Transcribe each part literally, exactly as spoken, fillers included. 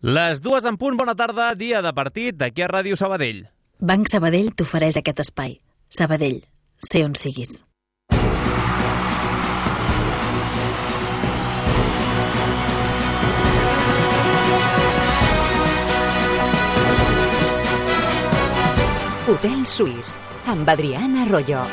Les dues en punt, bona tarda, dia de partit d'aquí a Ràdio Sabadell. Banc Sabadell t'ofereix aquest espai. Sabadell, sé on siguis. Hotel Suís, amb Adriana Arroyo.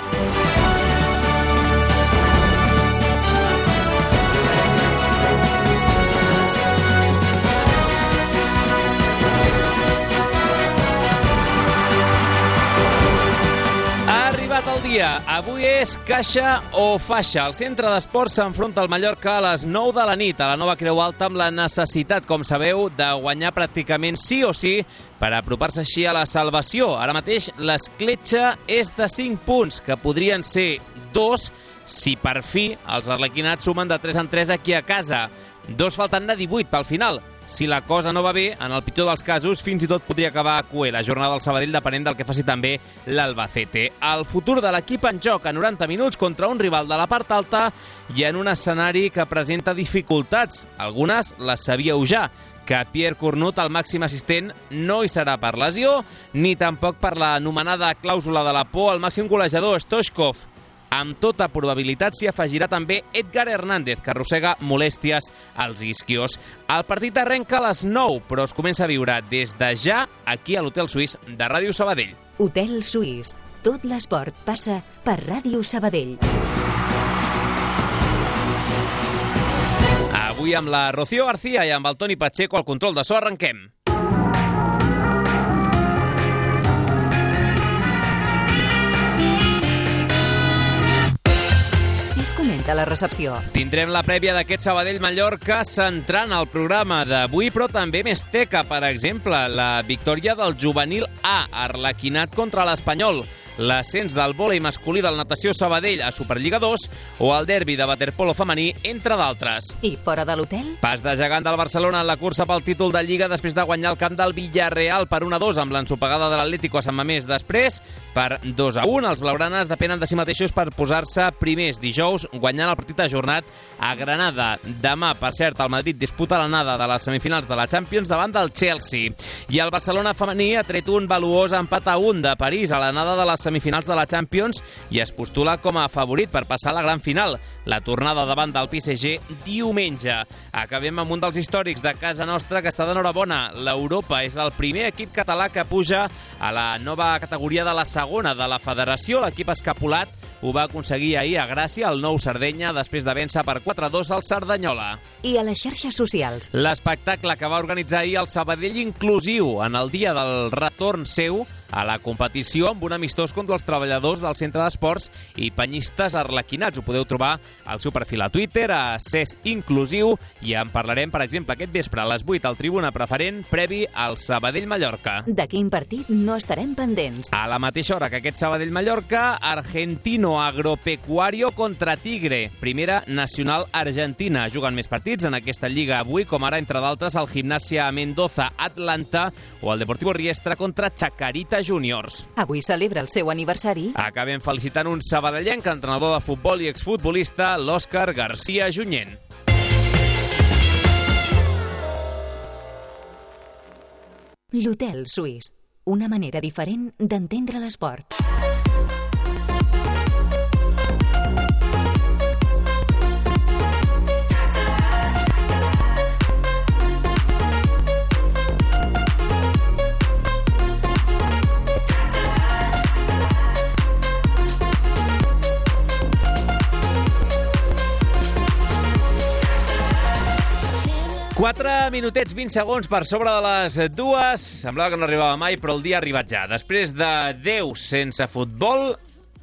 El dia. Avui és caixa o faixa. El centre d'esports s'enfronta al Mallorca a les nou de la nit a la nova Creu Alta amb la necessitat, com sabeu, de guanyar pràcticament sí o sí per apropar-se així a la salvació. Ara mateix l'escletxa és de cinc punts, que podrien ser dos si per fi els arlequinats sumen de tres en tres aquí a casa. Dos faltant de divuit pel final. Si la cosa no va bé, en el pitjor dels casos, fins i tot podria acabar a cuer la jornada del Sabadell depenent del que faci també l'Albacete. El futur de l'equip en joc a noranta minuts contra un rival de la part alta i en un escenari que presenta dificultats. Algunes les sabíeu ja, que Pierre Cornut, el màxim assistent, no hi serà per lesió, ni tampoc per l'anomenada clàusula de la por al màxim golejador, Stoichkov. Amb tota probabilitat s'hi afegirà també Edgar Hernández, que arrossega molèsties als isquios. El partit arrenca a les nou, però es comença a viure des de ja aquí a l'Hotel Suís de Ràdio Sabadell. Hotel Suís. Tot l'esport passa per Ràdio Sabadell. Avui amb la Rocío García i amb el Toni Pacheco al control de so arrenquem. Comenta la recepció. Tindrem la prèvia d'aquest Sabadell-Mallorca centrant el programa d'avui, però també més teca, per exemple, la victòria del juvenil A, arlequinat contra l'Espanyol, l'ascens del vòlei masculí del Natació Sabadell a Superliga dos o el derbi de waterpolo femení, entre d'altres. I fora de l'hotel? Pas de gegant del Barcelona en la cursa pel títol de Lliga després de guanyar el camp del Villarreal per un a dos amb l'ensopegada de l'Atlético a Sant Mamés. Després, per dos a un, els blaugranes depenen de si mateixos per posar-se primers dijous, guanyant el partit ajornat a Granada. Demà, per cert, el Madrid disputa l'anada de les semifinals de la Champions davant del Chelsea. I el Barcelona femení ha tret un valuós empat a un de París a l'anada de les semifinals de la Champions i es postula com a favorit per passar a la gran final. La tornada davant del P S G diumenge. Acabem amb un dels històrics de casa nostra que està d'enhorabona. L'Europa és el primer equip català que puja a la nova categoria de la segona de la federació. L'equip escapulat ho va aconseguir ahir a Gràcia, el nou Sardenya, després de vèncer per quatre a dos al Cerdanyola. I a les xarxes socials? L'espectacle que va organitzar ahir el Sabadell Inclusiu en el dia del retorn seu a la competició amb un amistós contra els treballadors del centre d'esports i penyistes arlequinats. Ho podeu trobar al seu perfil a Twitter, a C E S Inclusiu, i en parlarem, per exemple, aquest vespre a les vuit al Tribuna Preferent, previ al Sabadell-Mallorca. De quin partit no estarem pendents? A la mateixa hora que aquest Sabadell-Mallorca, Argentino Agropecuario contra Tigre, primera nacional argentina. Juguen més partits en aquesta lliga avui, com ara, entre d'altres, el Gimnasia Mendoza Atlanta o el Deportivo Riestra contra Chacarita Juniors. Avui celebra el seu aniversari. Acabem felicitant un sabadellenc, entrenador de futbol i exfutbolista, l'Òscar García Junyent. L'Hotel Suís. Una manera diferent d'entendre l'esport. quatre minutets, vint segons per sobre de les dues. Semblava que no arribava mai, però el dia ha arribat ja. Després de deu sense futbol,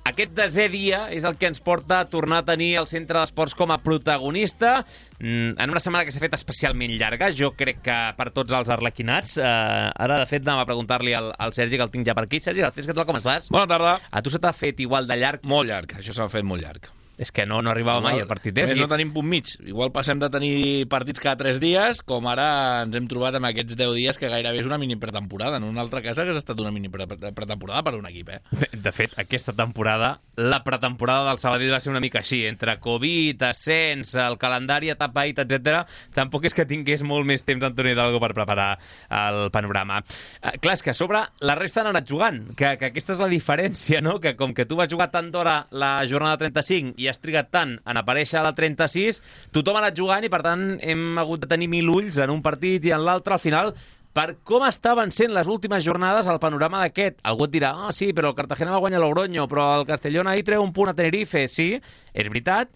aquest desè dia és el que ens porta a tornar a tenir el centre d'esports com a protagonista en una setmana que s'ha fet especialment llarga, jo crec que per tots els arlequinats. Eh, ara, de fet, anàvem a preguntar-li al, al Sergi, que el tinc ja per aquí. Sergi, Garcés, què tal, com estàs? Bona tarda. A tu se t'ha fet igual de llarg? Molt llarg, això s'ha fet molt llarg. És que no, no arribava Igual, mai el partit. A més, no tenim punt mig. Igual passem de tenir partits cada tres dies, com ara ens hem trobat amb aquests deu dies que gairebé és una mini pretemporada. En una altra casa que ha estat una mini pre pretemporada per un equip, eh? De, de fet, aquesta temporada, la pretemporada del Sabadell va ser una mica així. Entre Covid, ascens, el calendari atapeït, etcètera. Tampoc és que tingués molt més temps Antoni Hidalgo per preparar el panorama. Eh, clar, és que a sobre la resta han anat jugant, que, que aquesta és la diferència, no? Que com que tu vas jugar tant d'hora la jornada trenta-cinc i has trigat tant en aparèixer a la trenta-sis, tothom ha anat jugant i, per tant, hem hagut de tenir mil ulls en un partit i en l'altre. Al final, per com estaven sent les últimes jornades, el panorama d'aquest. Algú et dirà, ah, sí, però el Cartagena va guanyar Logroño, però el Castellón ahir treu un punt a Tenerife. Sí, és veritat,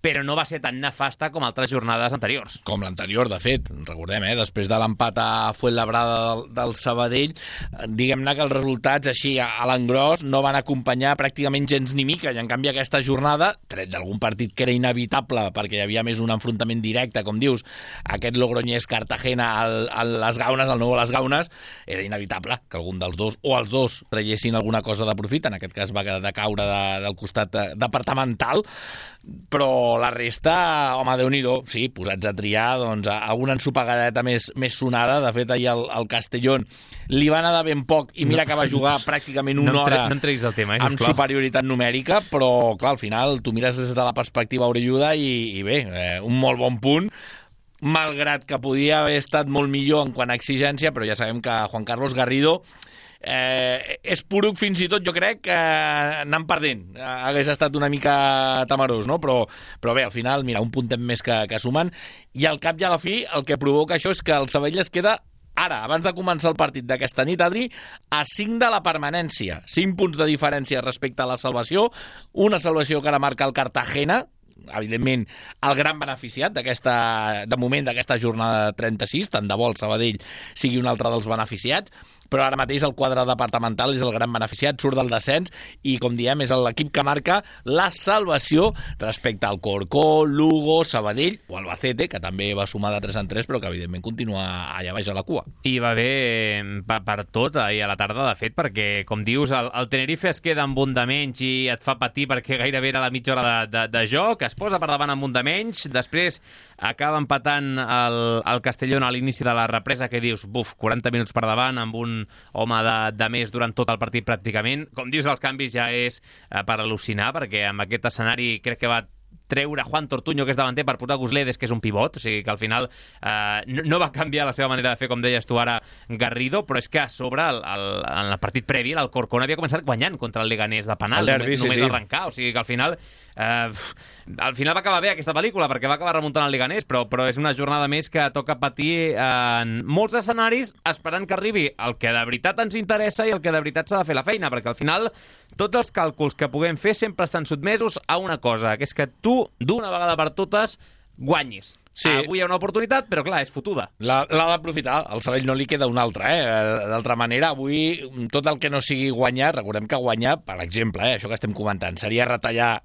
però no va ser tan nefasta com altres jornades anteriors. Com l'anterior, de fet, recordem, eh? Després de l'empat a Fuenlabrada del, del Sabadell, diguem-ne que els resultats així a l'engròs no van acompanyar pràcticament gens ni mica, i en canvi aquesta jornada, tret d'algun partit que era inevitable perquè hi havia més un enfrontament directe, com dius, aquest Logroñés-Cartagena a les Gaunes, al nou a les Gaunes, era inevitable que algun dels dos, o els dos, traiessin alguna cosa de profit, en aquest cas va de caure de, del costat de, departamental, però la resta, home, Déu-n'hi-do, sí, posats a triar, doncs, alguna ensopegadeta més, més sonada. De fet, ahir el, el Castellón li va anar de ben poc, i mira no, que va jugar pràcticament una no hora no el tema, eh, amb superioritat numèrica, però, clar, al final, tu mires des de la perspectiva orelluda i, i bé, eh, un molt bon punt, malgrat que podia haver estat molt millor en quant a exigència, però ja sabem que Juan Carlos Garrido Eh, és poruc fins i tot, jo crec que eh, anant perdent eh, hagués estat una mica temerós, no? Però, però bé, al final, mira, un puntet més que, que sumen, i al cap i a la fi el que provoca això és que el Sabadell es queda ara, abans de començar el partit d'aquesta nit, Adri, a cinc de la permanència, cinc punts de diferència respecte a la salvació, una salvació que ara marca el Cartagena, evidentment el gran beneficiat d'aquesta, de moment d'aquesta jornada trenta-sis, tant de bo el Sabadell sigui un altre dels beneficiats, però ara mateix el quadre departamental és el gran beneficiat, surt del descens i, com diem, és l'equip que marca la salvació respecte al Corcó, Lugo, Sabadell o Albacete, que també va sumar de tres en tres, però que evidentment continua allà baix a la cua. I va bé per, per tot ahir a la tarda, de fet, perquè, com dius, el, el Tenerife es queda amb un de menys i et fa patir perquè gairebé era la mitja hora de, de, de joc, es posa per davant amb un de menys, després acaba empatant el, el Castellón a l'inici de la represa, que dius, buf, quaranta minuts per davant amb un home de, de més durant tot el partit pràcticament. Com dius, els canvis ja és eh, per al·lucinar, perquè amb aquest escenari crec que va treure Juan Tortuño, que és davanter, per portar Gusledes, que és un pivot, o sigui que al final eh, no, no va canviar la seva manera de fer, com deies tu ara, Garrido, però és que a sobre, el, el, en el partit previ, l'Alcorcón havia començat guanyant contra el Leganés de penal, el derbi, només, només sí, sí. arrencar, o sigui que al final eh, al final va acabar bé aquesta pel·lícula, perquè va acabar remuntant el Leganés, però, però és una jornada més que toca patir en molts escenaris, esperant que arribi el que de veritat ens interessa i el que de veritat s'ha de fer la feina, perquè al final tots els càlculs que puguem fer sempre estan sotmesos a una cosa, que és que tu, d'una vegada per totes, guanyis. Sí. Avui hi ha una oportunitat, però clar, és fotuda. L'ha d'aprofitar, al Sabadell no li queda una altra, eh? D'altra manera, avui tot el que no sigui guanyar, recordem que guanyar, per exemple, eh, això que estem comentant, seria retallar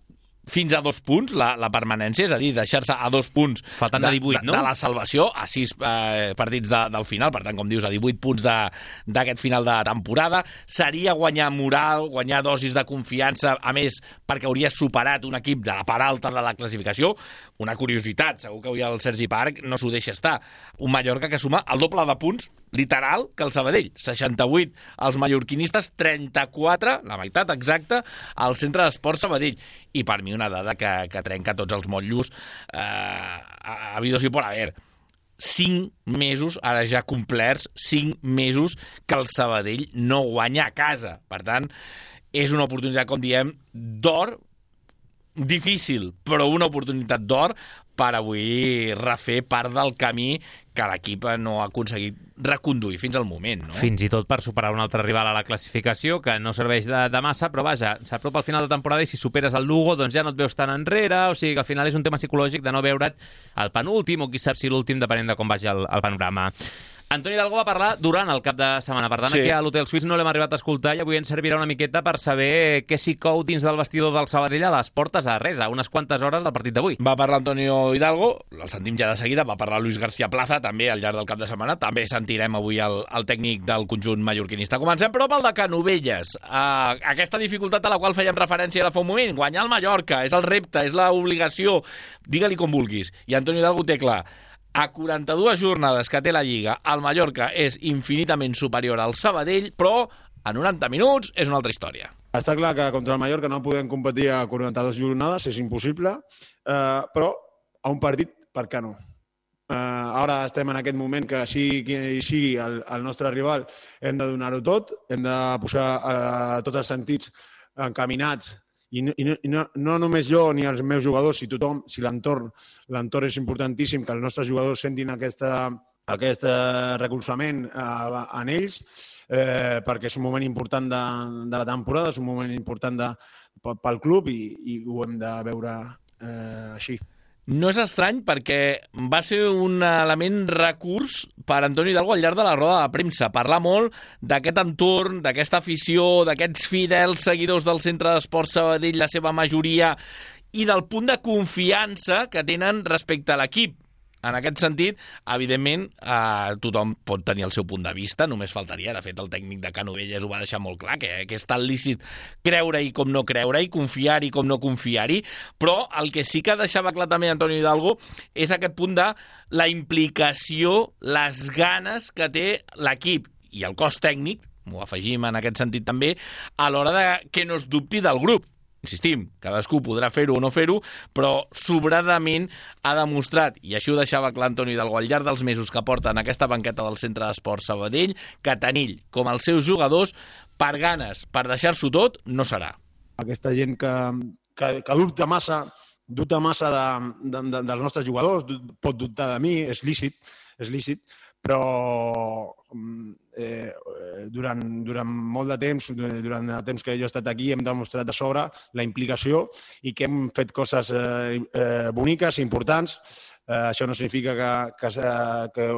fins a dos punts la, la permanència, és a dir, deixar-se a dos punts faltant de, divuit, de, no? de la salvació, a sis eh, partits de, del final, per tant, com dius, a divuit punts d'aquest final de temporada. Seria guanyar moral, guanyar dosis de confiança, a més, perquè hauries superat un equip de la part alta de la classificació. Una curiositat, segur que avui el Sergi Parc no s'ho deixa estar. Un Mallorca que suma el doble de punts, literal, que el Sabadell. seixanta-vuit els mallorquinistes, trenta-quatre, la meitat exacta, al Centre d'Esports Sabadell. I per mi una dada que, que trenca tots els motllos eh, a, a vidos i por haver. Cinc mesos, ara ja complerts, cinc mesos que el Sabadell no guanya a casa. Per tant, és una oportunitat, com diem, d'or, difícil, però una oportunitat d'or per avui refer part del camí que l'equip no ha aconseguit reconduir fins al moment, no? Fins i tot per superar un altre rival a la classificació, que no serveix de, de massa, però vaja, s'apropa al final de temporada i si superes el Lugo, doncs ja no et veus tan enrere, o sigui que al final és un tema psicològic de no veure't el penúltim o qui sap si l'últim, depenent de com vagi el, el panorama. Antoni Hidalgo va parlar durant el cap de setmana, per tant sí. Aquí a l'Hotel Suís no l'hem arribat a escoltar i avui ens servirà una miqueta per saber què s'hi cou dins del vestidor del Sabadell a les portes a res, a unes quantes hores del partit d'avui. Va parlar Antonio Hidalgo, el sentim ja de seguida, va parlar Luis García Plaza també al llarg del cap de setmana, també sentirem avui el, el tècnic del conjunt mallorquinista. Comencem però pel de Canovelles, uh, aquesta dificultat a la qual fèiem referència ara fa un moment, guanyar el Mallorca, és el repte, és l'obligació, digue-li com vulguis, i Antonio Hidalgo té clar. A quaranta-dues jornades que té la Lliga, el Mallorca és infinitament superior al Sabadell, però a noranta minuts és una altra història. Està clar que contra el Mallorca no podem competir a quaranta-dues jornades, és impossible, eh, però a un partit, per què no? Eh, ara estem en aquest moment que sigui qui sigui el, el nostre rival, hem de donar-ho tot, hem de posar eh, tots els sentits encaminats. I, no, i no, no només jo ni els meus jugadors, si tothom, si l'entorn, l'entorn és importantíssim, que els nostres jugadors sentin aquesta, aquest recolzament eh, en ells, eh, perquè és un moment important de, de la temporada, és un moment important de, pel club i, i ho hem de veure eh, així. No és estrany perquè va ser un element recurs per Antonio Hidalgo al llarg de la roda de premsa. Parlar molt d'aquest entorn, d'aquesta afició, d'aquests fidels seguidors del Centre d'Esports Sabadell, la seva majoria, i del punt de confiança que tenen respecte a l'equip. En aquest sentit, evidentment, eh, tothom pot tenir el seu punt de vista, només faltaria. De fet, el tècnic de Canovelles ho va deixar molt clar, que, que és tan lícit creure-hi com no creure-hi, confiar-hi com no confiar-hi, però el que sí que deixava clar també Antonio Hidalgo és aquest punt de la implicació, les ganes que té l'equip i el cos tècnic, m'ho afegim en aquest sentit també, a l'hora de que no es dubti del grup. Insistim, cadascú podrà fer-ho o no fer-ho, però sobradament ha demostrat, i així ho deixava clar Antonio Hidalgo al llarg dels mesos que porta en aquesta banqueta del Centre d'Esports Sabadell, que tant ell com els seus jugadors, per ganes, per deixar-s'ho tot, no serà. Aquesta gent que, que, que dubta massa, dubta massa de, de, de, dels nostres jugadors, pot dubtar de mi, és lícit, és lícit, però eh, durant, durant molt de temps, durant el temps que jo he estat aquí, hem demostrat de sobre la implicació i que hem fet coses eh, eh, boniques, importants. Eh, això no significa que, que, que,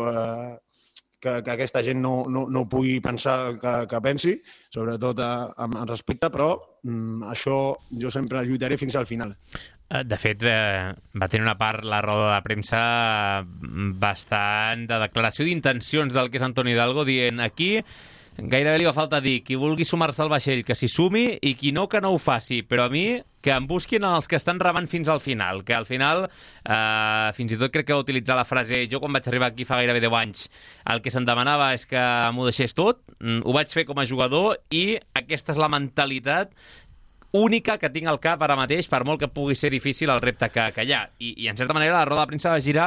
que, que aquesta gent no, no, no pugui pensar el que, que pensi, sobretot amb respecte, però mm, això jo sempre lluitaré fins al final. De fet, eh, va tenir una part, la roda de premsa, bastant de declaració d'intencions del que és Antoni Hidalgo, dient aquí gairebé li va falta dir qui vulgui sumar-se al vaixell que s'hi sumi i qui no que no ho faci, però a mi que em busquin els que estan remant fins al final, que al final eh, fins i tot crec que va utilitzar la frase jo quan vaig arribar aquí fa gairebé deu anys el que se'm demanava és que m'ho deixés tot, ho vaig fer com a jugador i aquesta és la mentalitat única que tinc al cap ara mateix, per molt que pugui ser difícil el repte que, que hi ha. I, I, en certa manera, la roda de premsa va girar,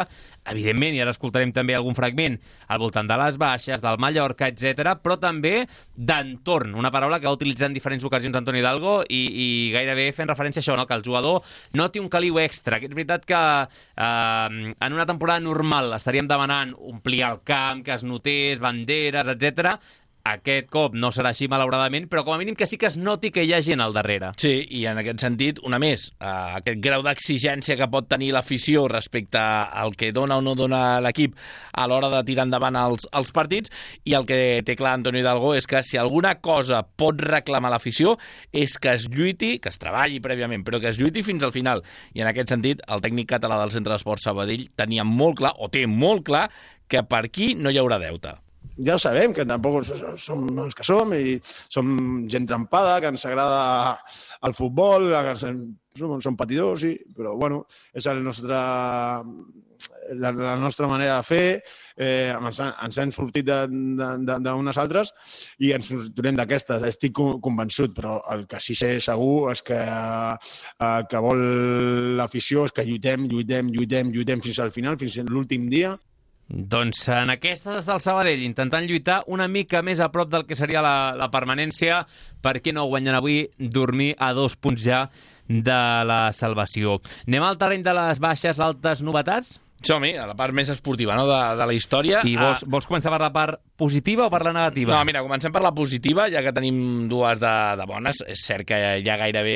evidentment, i ara escoltarem també algun fragment, al voltant de les baixes, del Mallorca, etcètera, però també d'entorn, una paraula que va utilitzar en diferents ocasions Antoni Hidalgo i, i gairebé fent referència a això, no? Que el jugador no té un caliu extra. Que és veritat que eh, en una temporada normal estaríem demanant omplir el camp, que es notés, banderes, etcètera. Aquest cop no serà així, malauradament, però com a mínim que sí que es noti que hi ha gent al darrere. Sí, i en aquest sentit, una més, eh, aquest grau d'exigència que pot tenir l'afició respecte al que dona o no dona l'equip a l'hora de tirar endavant els, els partits, i el que té clar Antonio Hidalgo és que si alguna cosa pot reclamar l'afició és que es lluiti, que es treballi prèviament, però que es lluiti fins al final. I en aquest sentit, el tècnic català del Centre d'Esports Sabadell tenia molt clar, o té molt clar, que per aquí no hi haurà deute. Ja ho sabem, que tampoc som els que som i som gent trempada, que ens agrada el futbol, que som, som patidors, sí, però bueno, és el nostre, la, la nostra manera de fer, eh, ens, ens hem sortit d'unes altres i ens sortirem d'aquestes, estic convençut, però el que sí sé segur és que el que vol l'afició és que lluitem, lluitem, lluitem, lluitem fins al final, fins a l'últim dia. Doncs en aquestes del Sabadell, intentant lluitar una mica més a prop del que seria la, la permanència, per què no guanyen avui, dormir a dos punts ja de la salvació. Anem al terreny de les baixes, altes novetats? Som-hi, a la part més esportiva, no?, de, de la història. I vols, vols començar per la part positiva o per la negativa? No, mira, comencem per la positiva, ja que tenim dues de, de bones. És cert que ja gairebé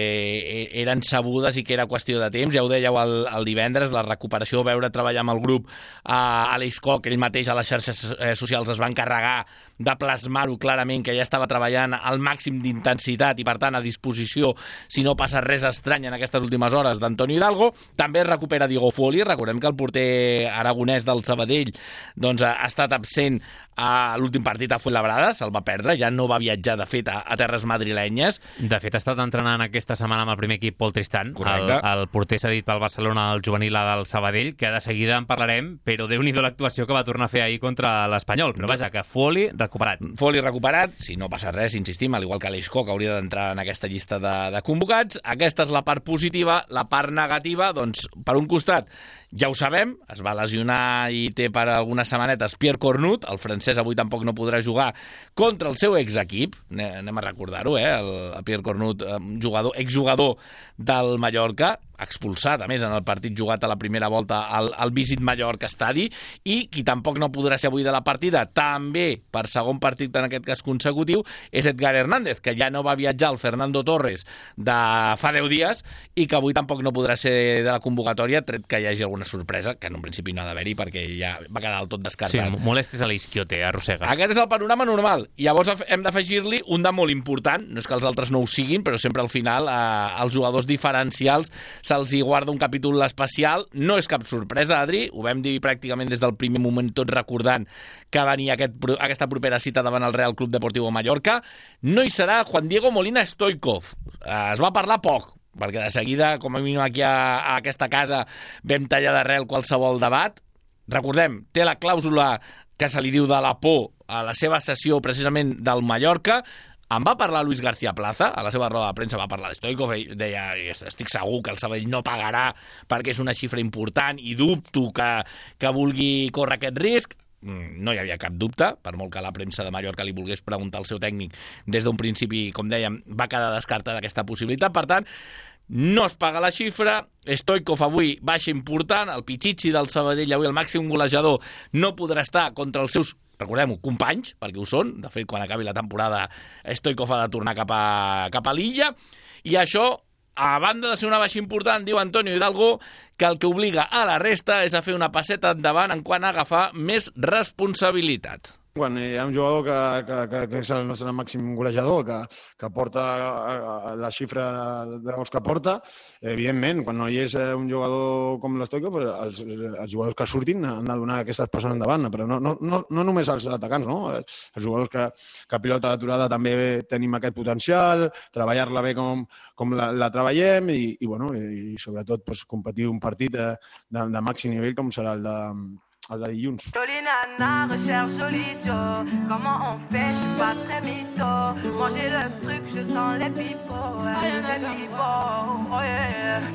eren sabudes i que era qüestió de temps. Ja ho dèieu el, el divendres, la recuperació, veure treballar amb el grup a Aleix Koch, ell mateix a les xarxes socials es va encarregar de plasmar-ho clarament, que ja estava treballant al màxim d'intensitat i, per tant, a disposició, si no passa res estrany en aquestes últimes hores, d'Antonio Hidalgo. També es recupera Diego Folli. Recordem que el porter aragonès del Sabadell doncs, ha estat absent a l'últim partit a Fuenlabrada, se'l va perdre, ja no va viatjar, de fet, a, a terres madrilenyes. De fet, ha estat entrenant aquesta setmana amb el primer equip Pol Tristan. Correcte. El, el porter cedit pel Barcelona al juvenil del Sabadell, que de seguida en parlarem, però Déu-n'hi-do l'actuació que va tornar a fer ahir contra l'Espanyol. Però vaja, que Folli recuperat. Folli recuperat, si no passa res, insistim, al igual que Aleix Koch hauria d'entrar en aquesta llista de, de convocats. Aquesta és la part positiva. La part negativa, doncs, per un costat, ja ho sabem, es va lesionar i té per algunes setmanetes Pierre Cornut, el francès avui tampoc no podrà jugar contra el seu exequip, anem a recordar-ho, eh? el, el Pierre Cornut, jugador, exjugador del Mallorca, expulsat, a més, en el partit jugat a la primera volta al, al Visit Mallorca Estadi, i qui tampoc no podrà ser avui de la partida, també per segon partit en aquest cas consecutiu, és Edgar Hernández, que ja no va viatjar al Fernando Torres de fa deu dies i que avui tampoc no podrà ser de la convocatòria, tret que hi hagi alguna sorpresa, que en un principi no ha d'haver-hi perquè ja va quedar del tot descartat. Sí, molestes a l'Isquiote, arrossega. Aquest és el panorama normal. I llavors hem d'afegir-li un de molt important, no és que els altres no ho siguin, però sempre al final eh, els jugadors diferencials se'ls hi guarda un capítol especial. No és cap sorpresa, Adri, ho vam dir pràcticament des del primer moment, tot recordant que venia aquest, aquesta propera cita davant el Real Club Deportivo Mallorca. No hi serà Juan Diego Molina Stoikov. Es va parlar poc, perquè de seguida, com a mínim aquí a, a aquesta casa, vam tallar d'arrel qualsevol debat. Recordem, té la clàusula que se li diu de la por a la seva sessió precisament del Mallorca. En va parlar Luis García Plaza, a la seva roda de premsa va parlar de Stoikov, ell deia, estic segur que el Sabadell no pagarà perquè és una xifra important i dubto que, que vulgui córrer aquest risc. No hi havia cap dubte, per molt que la premsa de Mallorca li volgués preguntar al seu tècnic, des d'un principi, com dèiem, va quedar descartada aquesta possibilitat. Per tant, no es paga la xifra. Stoikov avui baixa important, el Pichichi del Sabadell avui el màxim golejador no podrà estar contra els seus, recordem-ho, companys, perquè ho són. De fet, quan acabi la temporada, Stoikov ha de tornar cap a, cap a l'illa. I això, a banda de ser una baixa important, diu Antonio Hidalgo, que el que obliga a la resta és a fer una passeta endavant en quant a agafar més responsabilitat. Quan hi ha un jugador que, que, que, que és el nostre màxim golejador, que, que porta la xifra de gols que porta, evidentment, quan no hi és un jugador com l'Stoikov, els, els jugadors que surtin han de donar aquestes passes endavant, però no, no, no, no només els atacants, no? Els jugadors que, que pilota d'aturada també tenim aquest potencial, treballar-la bé com, com la, la treballem i, i, bueno, i sobretot pues, competir un partit de, de, de màxim nivell com serà el de el de dilluns. Jolie nana, recherche jolie Joe. Comment on fait, je suis pas très mytho. Manger le truc, je sens les pipots. Les pipots, oh yeah.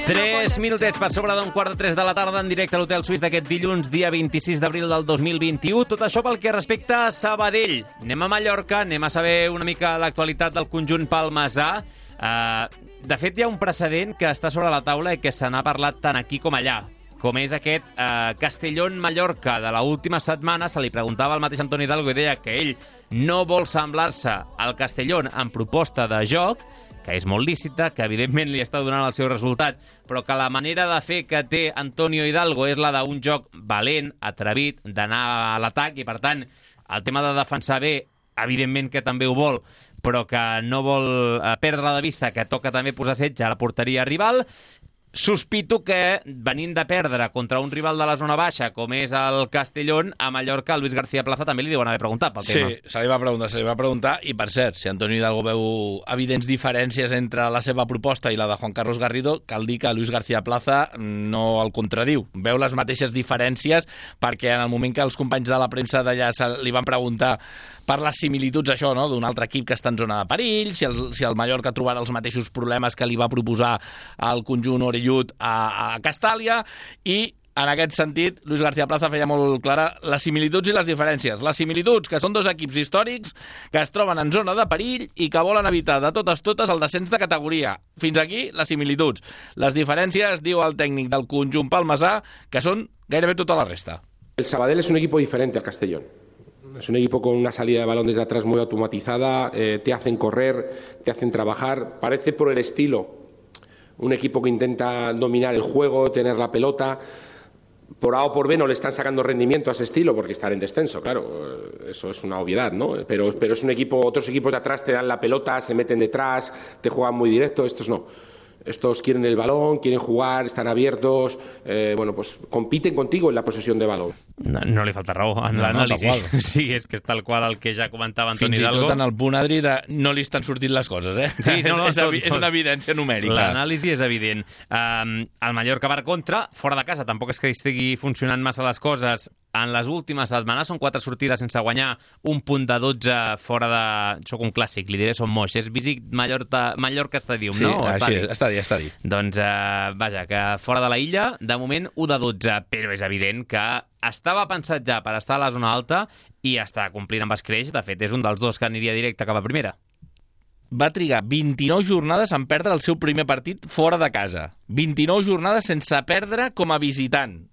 Tres minutets per sobre d'un quart de tres de la tarda en directe a l'Hotel Suís d'aquest dilluns, dia vint-i-sis d'abril del dos mil vint-i-u. Tot això pel que respecta a Sabadell. Anem a Mallorca, anem a saber una mica l'actualitat del conjunt palmesà. Uh, de fet, hi ha un precedent que està sobre la taula i que se n'ha parlat tant aquí com allà, com és aquest uh, Castellón-Mallorca de l'última setmana. Se li preguntava al mateix Antoni Hidalgo i deia que ell no vol semblar-se al Castellón en proposta de joc, que és molt lícita, que evidentment li està donant el seu resultat, però que la manera de fer que té Antonio Hidalgo és la d'un joc valent, atrevit, d'anar a l'atac, i per tant el tema de defensar bé, evidentment que també ho vol, però que no vol perdre de vista que toca també posar setge a la porteria rival. Sospito que, venint de perdre contra un rival de la zona baixa, com és el Castellón, a Mallorca, Luis García Plaza també li deuen haver preguntat pel tema. Sí, se li va preguntar, se li va preguntar, i per cert, si Antonio Hidalgo veu evidents diferències entre la seva proposta i la de Juan Carlos Garrido, cal dir que Luis García Plaza no el contradiu. Veu les mateixes diferències perquè en el moment que els companys de la premsa d'allà li van preguntar per les similituds, això, no?, d'un altre equip que està en zona de perill, si el, si el Mallorca trobarà els mateixos problemes que li va proposar el conjunt orellut a, a Castàlia, i en aquest sentit, Luis García Plaza feia molt clara les similituds i les diferències. Les similituds, que són dos equips històrics que es troben en zona de perill i que volen evitar de totes totes el descens de categoria. Fins aquí, les similituds. Les diferències, diu el tècnic del conjunt palmesà, que són gairebé tota la resta. El Sabadell es un equipo diferente al Castellón. Es un equipo con una salida de balón desde atrás muy automatizada, eh, te hacen correr, te hacen trabajar. Parece por el estilo un equipo que intenta dominar el juego, tener la pelota. Por A o por B no le están sacando rendimiento a ese estilo porque están en descenso, claro, eso es una obviedad, ¿no? Pero, pero es un equipo, otros equipos de atrás te dan la pelota, se meten detrás, te juegan muy directo, estos no. Estos quieren el balón, quieren jugar, están abiertos, eh, bueno, pues compiten contigo en la posesión de balón. No, no li falta raó en no, l'anàlisi. No, sí, és que és tal qual el que ja comentava Antoni Hidalgo. Fins i Hidalgo. tot en el punt, Adri, de no li estan sortint les coses, eh? Sí, no, no, és, tot, és, és una evidència numèrica. L'anàlisi és evident. Um, el Mallorca per contra, fora de casa, tampoc és que estigui funcionant massa les coses. En les últimes setmanes són quatre sortides sense guanyar, un punt de dotze fora de... Soc un clàssic, li diré som moix. És Visit Mallorca, Mallorca Stadium, sí, no? Sí, així és, està dit, està dit. Doncs, uh, vaja, que fora de la illa, de moment, u de dotze, però és evident que estava pensat ja per estar a la zona alta i està complint amb escreix. De fet, és un dels dos que aniria directe cap a primera. Va trigar vint-i-nou jornades en perdre el seu primer partit fora de casa. vint-i-nou jornades sense perdre com a visitant.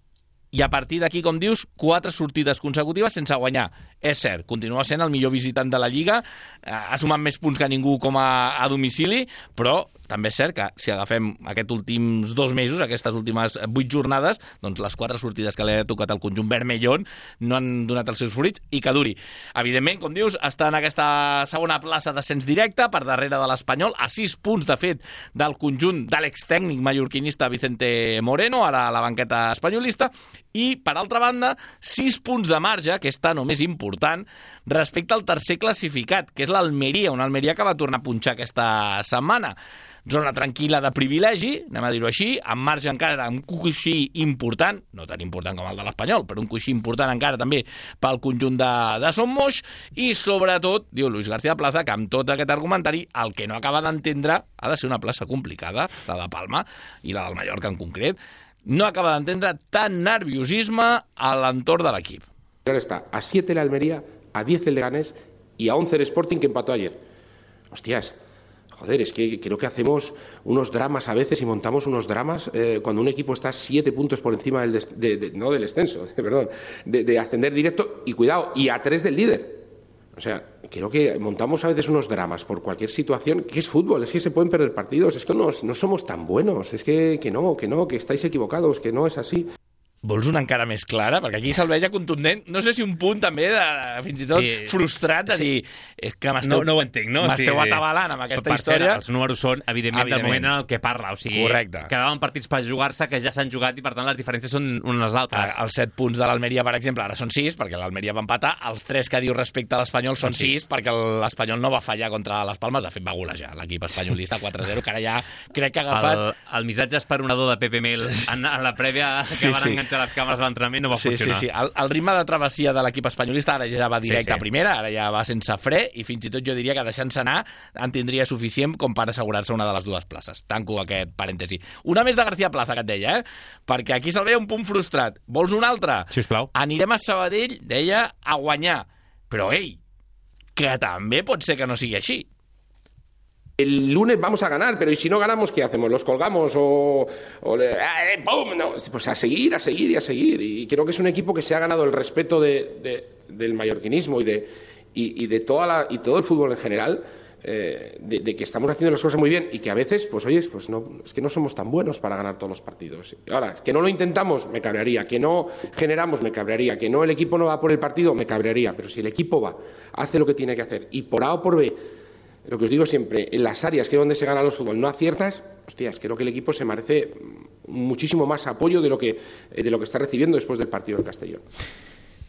I a partir d'aquí, com dius, quatre sortides consecutives sense guanyar. És cert, continua sent el millor visitant de la Lliga, ha sumat més punts que ningú com a, a domicili, però també és cert que si agafem aquests últims dos mesos, aquestes últimes vuit jornades, doncs les quatre sortides que li ha tocat al conjunt vermellón no han donat els seus fruits i que duri. Evidentment, com dius, està en aquesta segona plaça d'ascens directe, per darrere de l'Espanyol, a sis punts, de fet, del conjunt de l'extècnic mallorquinista Vicente Moreno, ara a la banqueta espanyolista, i, per altra banda, sis punts de marge, que és tan o més important, respecte al tercer classificat, que és l'Almeria, una Almeria que va tornar a punxar aquesta setmana. Zona tranquil·la de privilegi, anem a dir-ho així, amb marge encara, un coixí important, no tan important com el de l'Espanyol, però un coixí important encara també pel conjunt de, de Son Moix, i sobretot, diu Luis García Plaza, que amb tot aquest argumentari, el que no acaba d'entendre ha de ser una plaça complicada, la de Palma i la del Mallorca en concret, no acaba d'entendre tant nerviosisme a l'entorn de l'equip. Ahora está a siete el Almería, a diez el Leganés y a once el Sporting, que empató ayer. Hostias, joder, es que creo que hacemos unos dramas a veces y montamos unos dramas eh, cuando un equipo está siete puntos por encima del, des- de, de, no del descenso, perdón, de, de ascender directo y cuidado, y a tres del líder. O sea, creo que montamos a veces unos dramas por cualquier situación, que es fútbol, es que se pueden perder partidos, es que no, no somos tan buenos, es que, que no, que no, que estáis equivocados, que no es así. Vols una encara més clara? Perquè aquí se'l veia contundent. No sé si un punt també, de, fins i tot sí, frustrat, de dir és que m'esteu no, no ho entenc, no? m'esteu sí, atabalant amb aquesta per història. Cert, els números són, evidentment, evidentment, del moment en el que parla. O sigui, correcte. Quedaven partits per jugar-se que ja s'han jugat i, per tant, les diferències són unes altres. Els set punts de l'Almeria, per exemple, ara són sis, perquè l'Almeria va empatar. Els tres que diu respecte a l'Espanyol són sis, perquè l'Espanyol no va fallar contra les Palmes. De fet, va golejar l'equip espanyolista quatre a zero, que ara ja crec que ha agafat... El, el missatge esperonador de Pepe Mel en, en la prèvia que sí, van sí. enganxar les càmeres a l'entrenament no va sí, funcionar. Sí, sí, el, el ritme de travessia de l'equip espanyolista ara ja va directe sí, sí. a primera, ara ja va sense fre, i fins i tot jo diria que deixant-se anar en tindria suficient com per assegurar-se una de les dues places. Tanco aquest parèntesi. Una més de García Plaza, que et deia, eh? Perquè aquí se'l veia un punt frustrat. Vols una altra? Sisplau. Anirem a Sabadell, deia, a guanyar. Però, ei, que també pot ser que no sigui així. El lunes vamos a ganar, pero ¿y si no ganamos qué hacemos? ¿Los colgamos o, o le, eh, ¡pum! No, pues a seguir, a seguir y a seguir. Y creo que es un equipo que se ha ganado el respeto de, de, del mallorquinismo y de, y, y de toda la, y todo el fútbol en general, eh, de, de que estamos haciendo las cosas muy bien y que a veces, pues oye, pues no, es que no somos tan buenos para ganar todos los partidos. Ahora, que no lo intentamos, me cabrearía. Que no generamos, me cabrearía. Que no el equipo no va por el partido, me cabrearía. Pero si el equipo va, hace lo que tiene que hacer y por A o por B, lo que os digo siempre, en las áreas que es donde se gana los fútbol no aciertas, hostias, creo que el equipo se merece muchísimo más apoyo de lo que, de lo que está recibiendo después del partido del Castellón.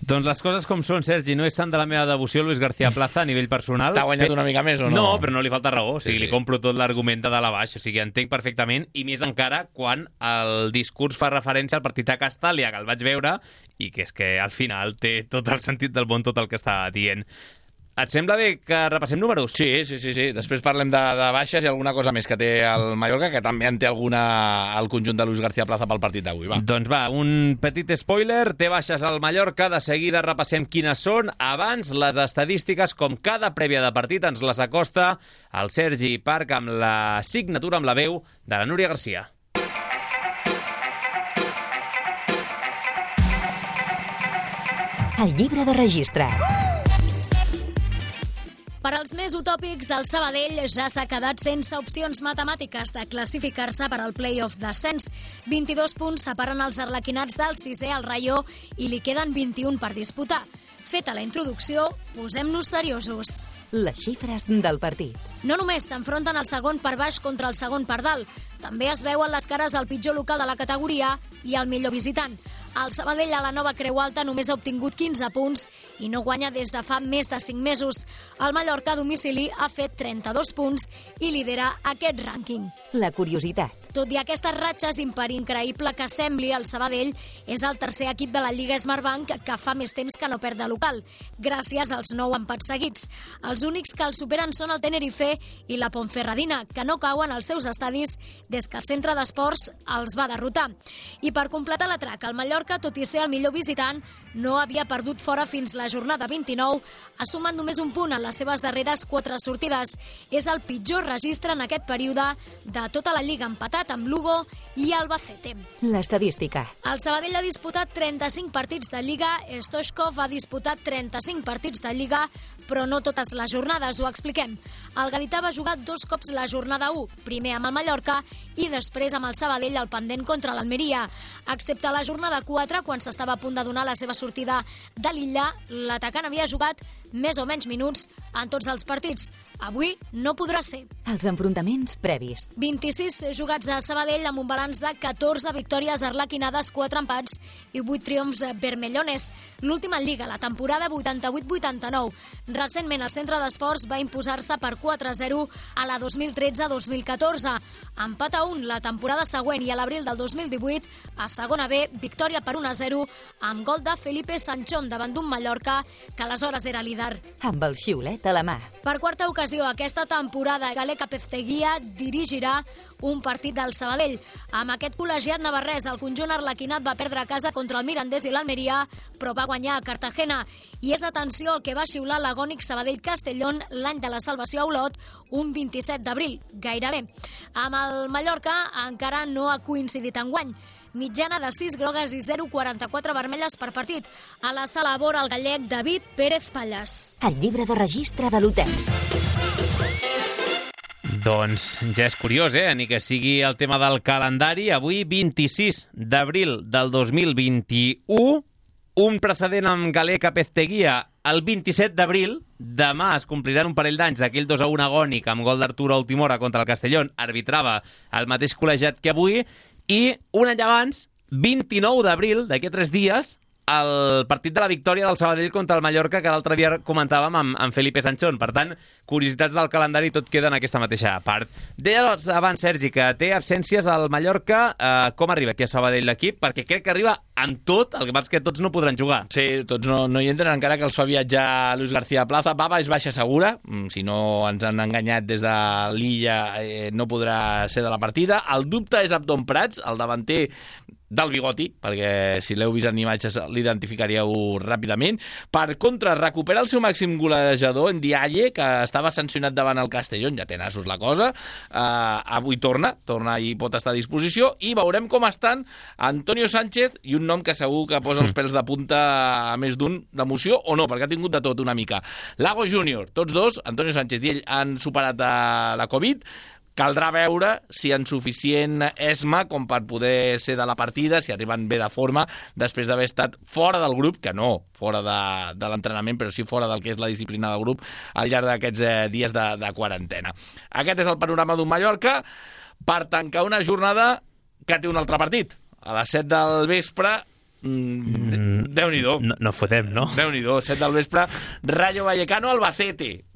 Doncs les coses com són, Sergi, no és sant de la meva devoció Luis García Plaza a nivell personal. T'ha guanyat una mica més o no? No, però no li falta raó. O sigui, sí, sí. li compro tot l'argument de dalt a baix. O sigui, entenc perfectament, i més encara quan el discurs fa referència al partit a Castàlia, que el vaig veure, i que és que al final té tot el sentit del món tot el que està dient. Et sembla bé que repassem números? Sí, sí, sí, sí. Després parlem de, de baixes i alguna cosa més que té el Mallorca, que també en té alguna al conjunt de Luis García Plaza pel partit d'avui. Va. Doncs va, un petit spoiler. Té baixes al Mallorca. De seguida repassem quines són. Abans, les estadístiques, com cada prèvia de partit, ens les acosta el Sergi Parc amb la signatura, amb la veu de la Núria Garcia. El llibre de registre. Per als més utòpics, el Sabadell ja s'ha quedat sense opcions matemàtiques de classificar-se per al play-off d'ascens. vint-i-dos punts separen els arlequinats del sisè al Rayo i li queden vint-i-un per disputar. Feta la introducció, posem-nos seriosos. Les xifres del partit. No només s'enfronten el segon per baix contra el segon per dalt, també es veuen les cares al pitjor local de la categoria i al millor visitant. El Sabadell a la nova Creu Alta només ha obtingut quinze punts i no guanya des de fa més de cinc mesos. El Mallorca a domicili ha fet trenta-dos punts i lidera aquest rànquing. La curiositat. Tot i aquestes ratxes, per increïble que sembli, el Sabadell és el tercer equip de la Lliga Smartbank que fa més temps que no perd de local, gràcies als nou empats seguits. Els únics que el superen són el Tenerife i la Ponferradina, que no cauen als seus estadis des que el centre d'esports els va derrotar. I per completar l'atrac, el Mallorca, tot i ser el millor visitant, no havia perdut fora fins la jornada vint-i-nou, ha sumat només un punt en les seves darreres quatre sortides. És el pitjor registre en aquest període de tota la Lliga, empatat amb Lugo i Albacete. L'estadística. El Sabadell ha disputat trenta-cinc partits de Lliga, Stoichkov ha disputat trenta-cinc partits de Lliga, però no totes les jornades, ho expliquem. El gadità va jugar dos cops la jornada u, primer amb el Mallorca i després amb el Sabadell al pendent contra l'Almeria. Excepte la jornada quatre, quan s'estava a punt de donar la seva sortida de l'Illa, l'atacant havia jugat més o menys minuts en tots els partits. Avui no podrà ser. Els enfrontaments previs. vint-i-sis jugats a Sabadell amb un balanç de catorze victòries arlequinades, quatre empats i vuit triomfs vermellones. L'última en Lliga, la temporada vuitanta-vuit vuitanta-nou. Recentment el Centre d'Esports va imposar-se per quatre a zero a la dos mil tretze dos mil catorze. Empat a un la temporada següent i a l'abril del dos mil divuit, a segona B, victòria per un a zero amb gol de Felipe Sanchón davant d'un Mallorca que aleshores era líder. Amb el xiulet a la mà. Per quarta ocasió aquesta temporada, Gale Capezteguía dirigirà un partit del Sabadell. Amb aquest col·legiat navarrès, el conjunt arlequinat va perdre a casa contra el Mirandés i l'Almeria, però va guanyar a Cartagena. I és, atenció, el que va xiular l'agònic Sabadell-Castellón l'any de la salvació a Olot, un vint-i-set d'abril, gairebé. Amb el Mallorca encara no ha coincidit enguany. Mitjana de sis grogues i zero coma quaranta-quatre vermelles per partit. A la sala vora el gallec David Pérez Pallas. El llibre de registre de l'hotel. Doncs ja és curiós, eh? Ni que sigui el tema del calendari. Avui, vint-i-sis d'abril del dos mil vint-i-u, un precedent amb Gale Capezteguía el vint-i-set d'abril. Demà es compliran un parell d'anys d'aquell dos a un agònic amb gol d'Arturo a última hora contra el Castellón. Arbitrava el mateix col·legiat que avui. I un any abans, vint-i-nou d'abril, d'aquí a tres dies, el partit de la victòria del Sabadell contra el Mallorca, que l'altre dia comentàvem amb, amb Felipe Sanchón. Per tant, curiositats del calendari, tot queda en aquesta mateixa part. Deia abans, Sergi, que té absències al Mallorca. Eh, com arriba aquí a Sabadell l'equip? Perquè crec que arriba amb tot, el que passa és que tots no podran jugar. Sí, tots no, no hi entren, encara que els fa viatjar Luis García Plaza. Baba és baixa segura, si no ens han enganyat des de l'Illa, eh, no podrà ser de la partida. El dubte és Abdon Prats, el davanter del bigoti, perquè si l'heu vist en imatges l'identificaríeu ràpidament. Per contra, recupera el seu màxim golejador en Dialle, que estava sancionat davant el Castellón, ja té nassos la cosa. Uh, avui torna, torna i pot estar a disposició, i veurem com estan Antonio Sánchez i un nom que segur que posa els pèls de punta a més d'un d'emoció, o no, perquè ha tingut de tot una mica. Lago Júnior, tots dos, Antonio Sánchez i ell, han superat la Covid. Caldrà veure si en suficient esma com per poder ser de la partida, si arriben bé de forma, després d'haver estat fora del grup, que no fora de, de l'entrenament, però sí fora del que és la disciplina del grup al llarg d'aquests eh, dies de, de quarantena. Aquest és el panorama d'un Mallorca per tancar una jornada que té un altre partit. A les set del vespre, mm, Déu-n'hi-do. No, no fotem, no? Déu-n'hi-do, set del vespre, Rayo Vallecano, Albacete.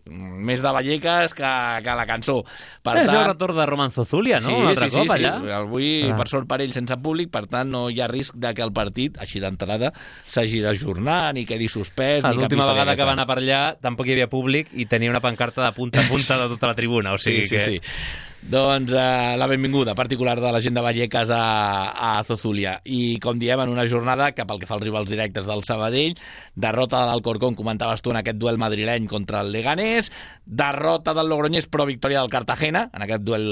més de Vallecas que, que la cançó. Per és tant, el retorn de Roman Zozulia, no? Sí, Un altre sí, cop, sí, allà. sí. Avui, ah. per sort per ell, sense públic, per tant, no hi ha risc de que el partit, així d'entrada, s'hagi d'ajornar, ni quedi suspès, ah, ni cap l'última història vegada que va anar per allà tampoc hi havia públic i tenia una pancarta de punta a punta de tota la tribuna, o sigui sí, sí, que... sí. Doncs eh, la benvinguda particular de la gent de Vallecas a, a Zozulia. I, com diem, en una jornada que, pel que fa als rivals directes del Sabadell, derrota de l'Alcorcón, comentaves tu, en aquest duel madrileny contra el Leganés, derrota del Logroñés, però victòria del Cartagena, en aquest duel,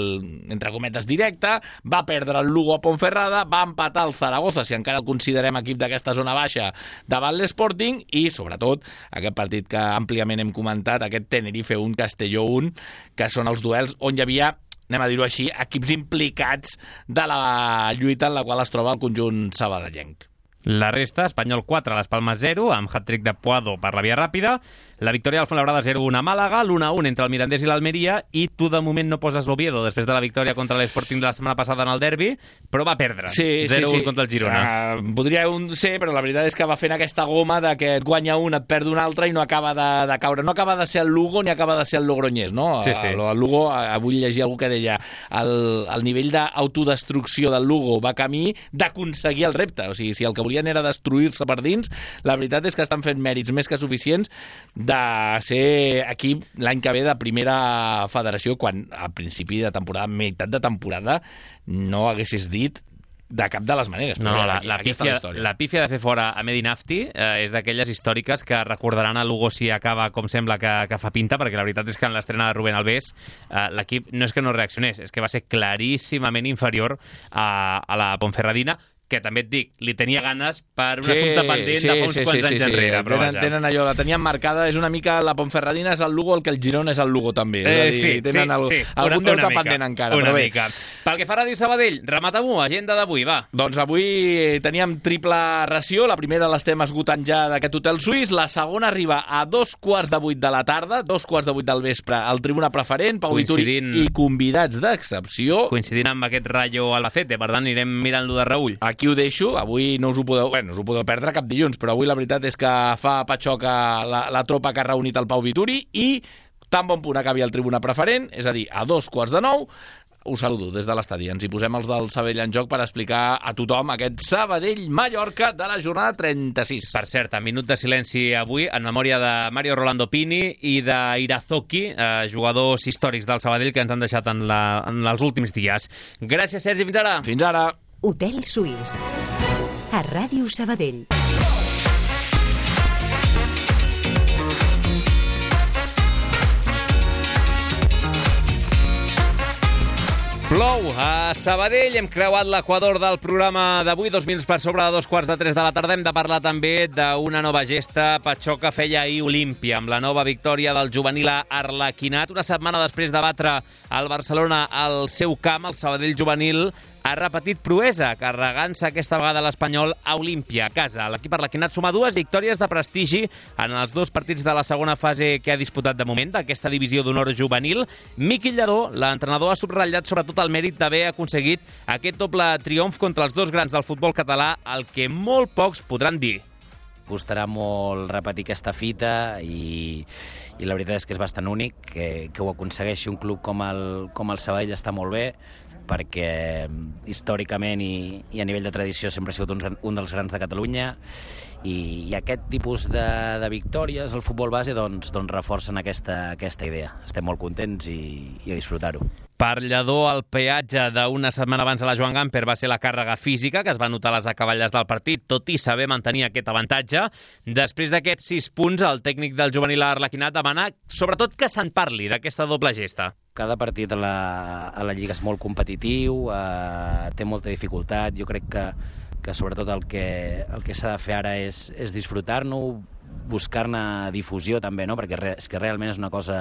entre cometes, directe, va perdre el Lugo a Ponferrada, va empatar el Zaragoza, si encara el considerem equip d'aquesta zona baixa, davant l'Sporting, i, sobretot, aquest partit que àmpliament hem comentat, aquest Tenerife un, Castelló un, que són els duels on hi havia, anem a dir-ho així, equips implicats de la lluita en la qual es troba el conjunt sabadellenc. La resta, Espanyol quatre, Las Palmas zero, amb hat-trick de Puado per la via ràpida, la victòria del Fuenlabrada zero un a Màlaga, l'u a un entre el Mirandés i l'Almeria, i tu de moment no poses l'Oviedo després de la victòria contra l'Sporting de la setmana passada en el derbi, però va perdre, sí, zero un sí, sí. contra el Girona. Uh, podria un ser, però la veritat és que va fent aquesta goma de que et guanya un, et perd un altre i no acaba de, de caure. No acaba de ser el Lugo ni acaba de ser el Logroñés, no? Sí, sí. El, el Lugo, avui llegia algú que deia el, el nivell d'autodestrucció del Lugo va camí d'aconseguir el repte. O sigui, si el que volien era destruir-se per dins, la veritat és que estan fent mèrits més que suficients de ser equip l'any que ve de primera federació, quan a principi de temporada, meitat de temporada, no haguessis dit de cap de les maneres. No, però la, aquí, la, pífia, la, la pífia de fer fora a Medi Nafti eh, és d'aquelles històriques que recordaran a Lugo si acaba com sembla que, que fa pinta, perquè la veritat és que en l'estrena de Rubén Alves eh, l'equip no és que no reaccionés, és que va ser claríssimament inferior a, a la Ponferradina, que també et dic, li tenia ganes per un sí, assumpte pendent sí, de fa uns sí, quants sí, anys sí, enrere. Sí. Tenen, tenen allò, la tenien marcada, és una mica la Ponferradina és el Lugo el que el Girona és el Lugo també. Eh, dir, sí, tenen sí, el, sí. algun una, deute una pendent encara. Una però bé. mica. Pel que fa a Ràdio Sabadell, remata-m'ho, agenda d'avui, va. Doncs avui teníem triple ració, la primera l'estem esgotant ja d'aquest hotel suís, la segona arriba a dos quarts de vuit de la tarda, dos quarts de vuit del vespre, al Tribuna Preferent, Pau Vituri i convidats d'excepció. Coincidint amb aquest Rayo Albacete, per tant anirem mirant-lo de reüll. Aquí ho deixo, avui no us ho podeu, bueno, us ho podeu perdre cap dilluns, però avui la veritat és que fa patxoca la, la tropa que ha reunit el Pau Vituri i tan bon punt acabi el Tribuna Preferent, és a dir, a dos quarts de nou, us saludo des de l'estadi. Ens hi posem els del Sabadell en joc per explicar a tothom aquest Sabadell-Mallorca de la jornada trenta-sis. Per cert, en minut de silenci avui, en memòria de Mario Rolando Pini i d'Irazoki, eh, jugadors històrics del Sabadell que ens han deixat en, la, en els últims dies. Gràcies, Sergi, fins ara. Fins ara. Hotel Suís. A Ràdio Sabadell. Plou a Sabadell, hem creuat l'equador del programa d'avui, dos minuts per sobre de dos quarts de tres de la tarda. Hem de parlar també d'una nova gesta. Patxoca feia ahir Olímpia, amb la nova victòria del juvenil Arlequinat. Una setmana després de batre el Barcelona al seu camp, el Sabadell juvenil ha repetit proesa, carregant-se aquesta vegada l'Espanyol a Olímpia, a casa. L'equip arlequinat suma dues victòries de prestigi en els dos partits de la segona fase que ha disputat de moment d'aquesta divisió d'honor juvenil. Miqui Lladó, l'entrenador, ha subratllat sobretot el mèrit d'haver aconseguit aquest doble triomf contra els dos grans del futbol català, el que molt pocs podran dir. Costarà molt repetir aquesta fita i, i la veritat és que és bastant únic que, que ho aconsegueixi un club com el, com el Sabadell. Està molt bé, perquè històricament i, i a nivell de tradició sempre ha sigut un, un dels grans de Catalunya i, i aquest tipus de, de victòries al futbol base doncs, doncs reforcen aquesta, aquesta idea. Estem molt contents i, i a disfrutar-ho. Per Lladó, el peatge d'una setmana abans a la Joan Gamper va ser la càrrega física, que es va notar a les acaballes del partit, tot i saber mantenir aquest avantatge. Després d'aquests sis punts, el tècnic del juvenil Arlequinat demana sobretot que se'n parli d'aquesta doble gesta. Cada partit a la, a la Lliga és molt competitiu, eh, té molta dificultat. Jo crec que, que sobretot el que, el que s'ha de fer ara és, és disfrutar-ne, buscar-ne difusió també, no? Perquè re, és que realment és una cosa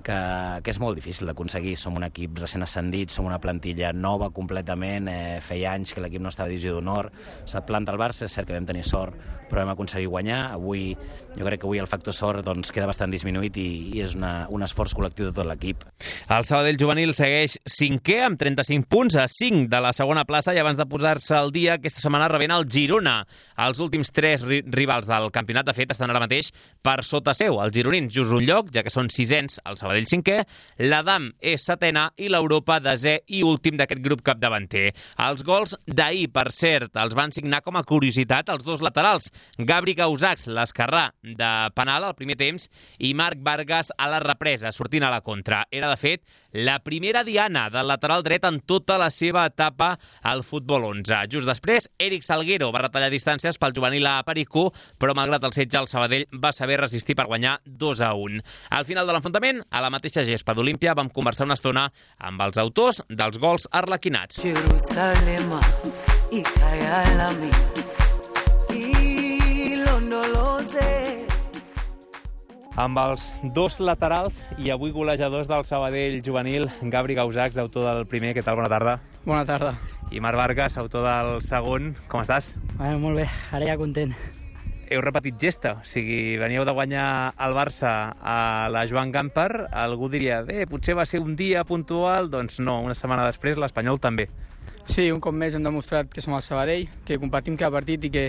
que, que és molt difícil d'aconseguir. Som un equip recent ascendit, som una plantilla nova completament, eh, feia anys que l'equip no estava a divisió d'honor, s'ha planta el Barça, és cert que vam tenir sort, però vam aconseguir guanyar. Avui, jo crec que avui el factor sort doncs, queda bastant disminuït i, i és una, un esforç col·lectiu de tot l'equip. El Sabadell juvenil segueix cinquè amb trenta-cinc punts a cinc de la segona plaça i abans de posar-se al dia aquesta setmana rebent el Girona. Els últims tres ri rivals del campionat, de fet, estan ara mateix per sota seu. Els gironins just un lloc, ja que són sisens, el Sabadell cinquè, l'Adam és setena i l'Europa desè i últim d'aquest grup capdavanter. Els gols d'ahir, per cert, els van signar com a curiositat els dos laterals. Gabri Gausacs, l'esquerrà de penal al primer temps, i Marc Vargas a la represa, sortint a la contra. Era, de fet, la primera diana del lateral dret en tota la seva etapa al futbol onze. Just després, Eric Salguero va retallar distàncies pel juvenil a Pericú, però malgrat el setge, el Sabadell va saber resistir per guanyar dos a un. Al final de l'enfrontament, a la mateixa gespa d'Olímpia, vam conversar una estona amb els autors dels gols arlequinats. Jerusalem i Kayalami i Londolose. Amb els dos laterals i avui golejadors del Sabadell juvenil, Gabri Gausacs, autor del primer. Què tal? Bona tarda. Bona tarda. I Marc Vargas, autor del segon. Com estàs? Bueno, molt bé, ara ja content. Heu repetit gesta, o sigui, veníeu de guanyar el Barça a la Joan Gamper, algú diria, bé, potser va ser un dia puntual, doncs no, una setmana després l'Espanyol també. Sí, un cop més hem demostrat que som el Sabadell, que competim cada partit i que,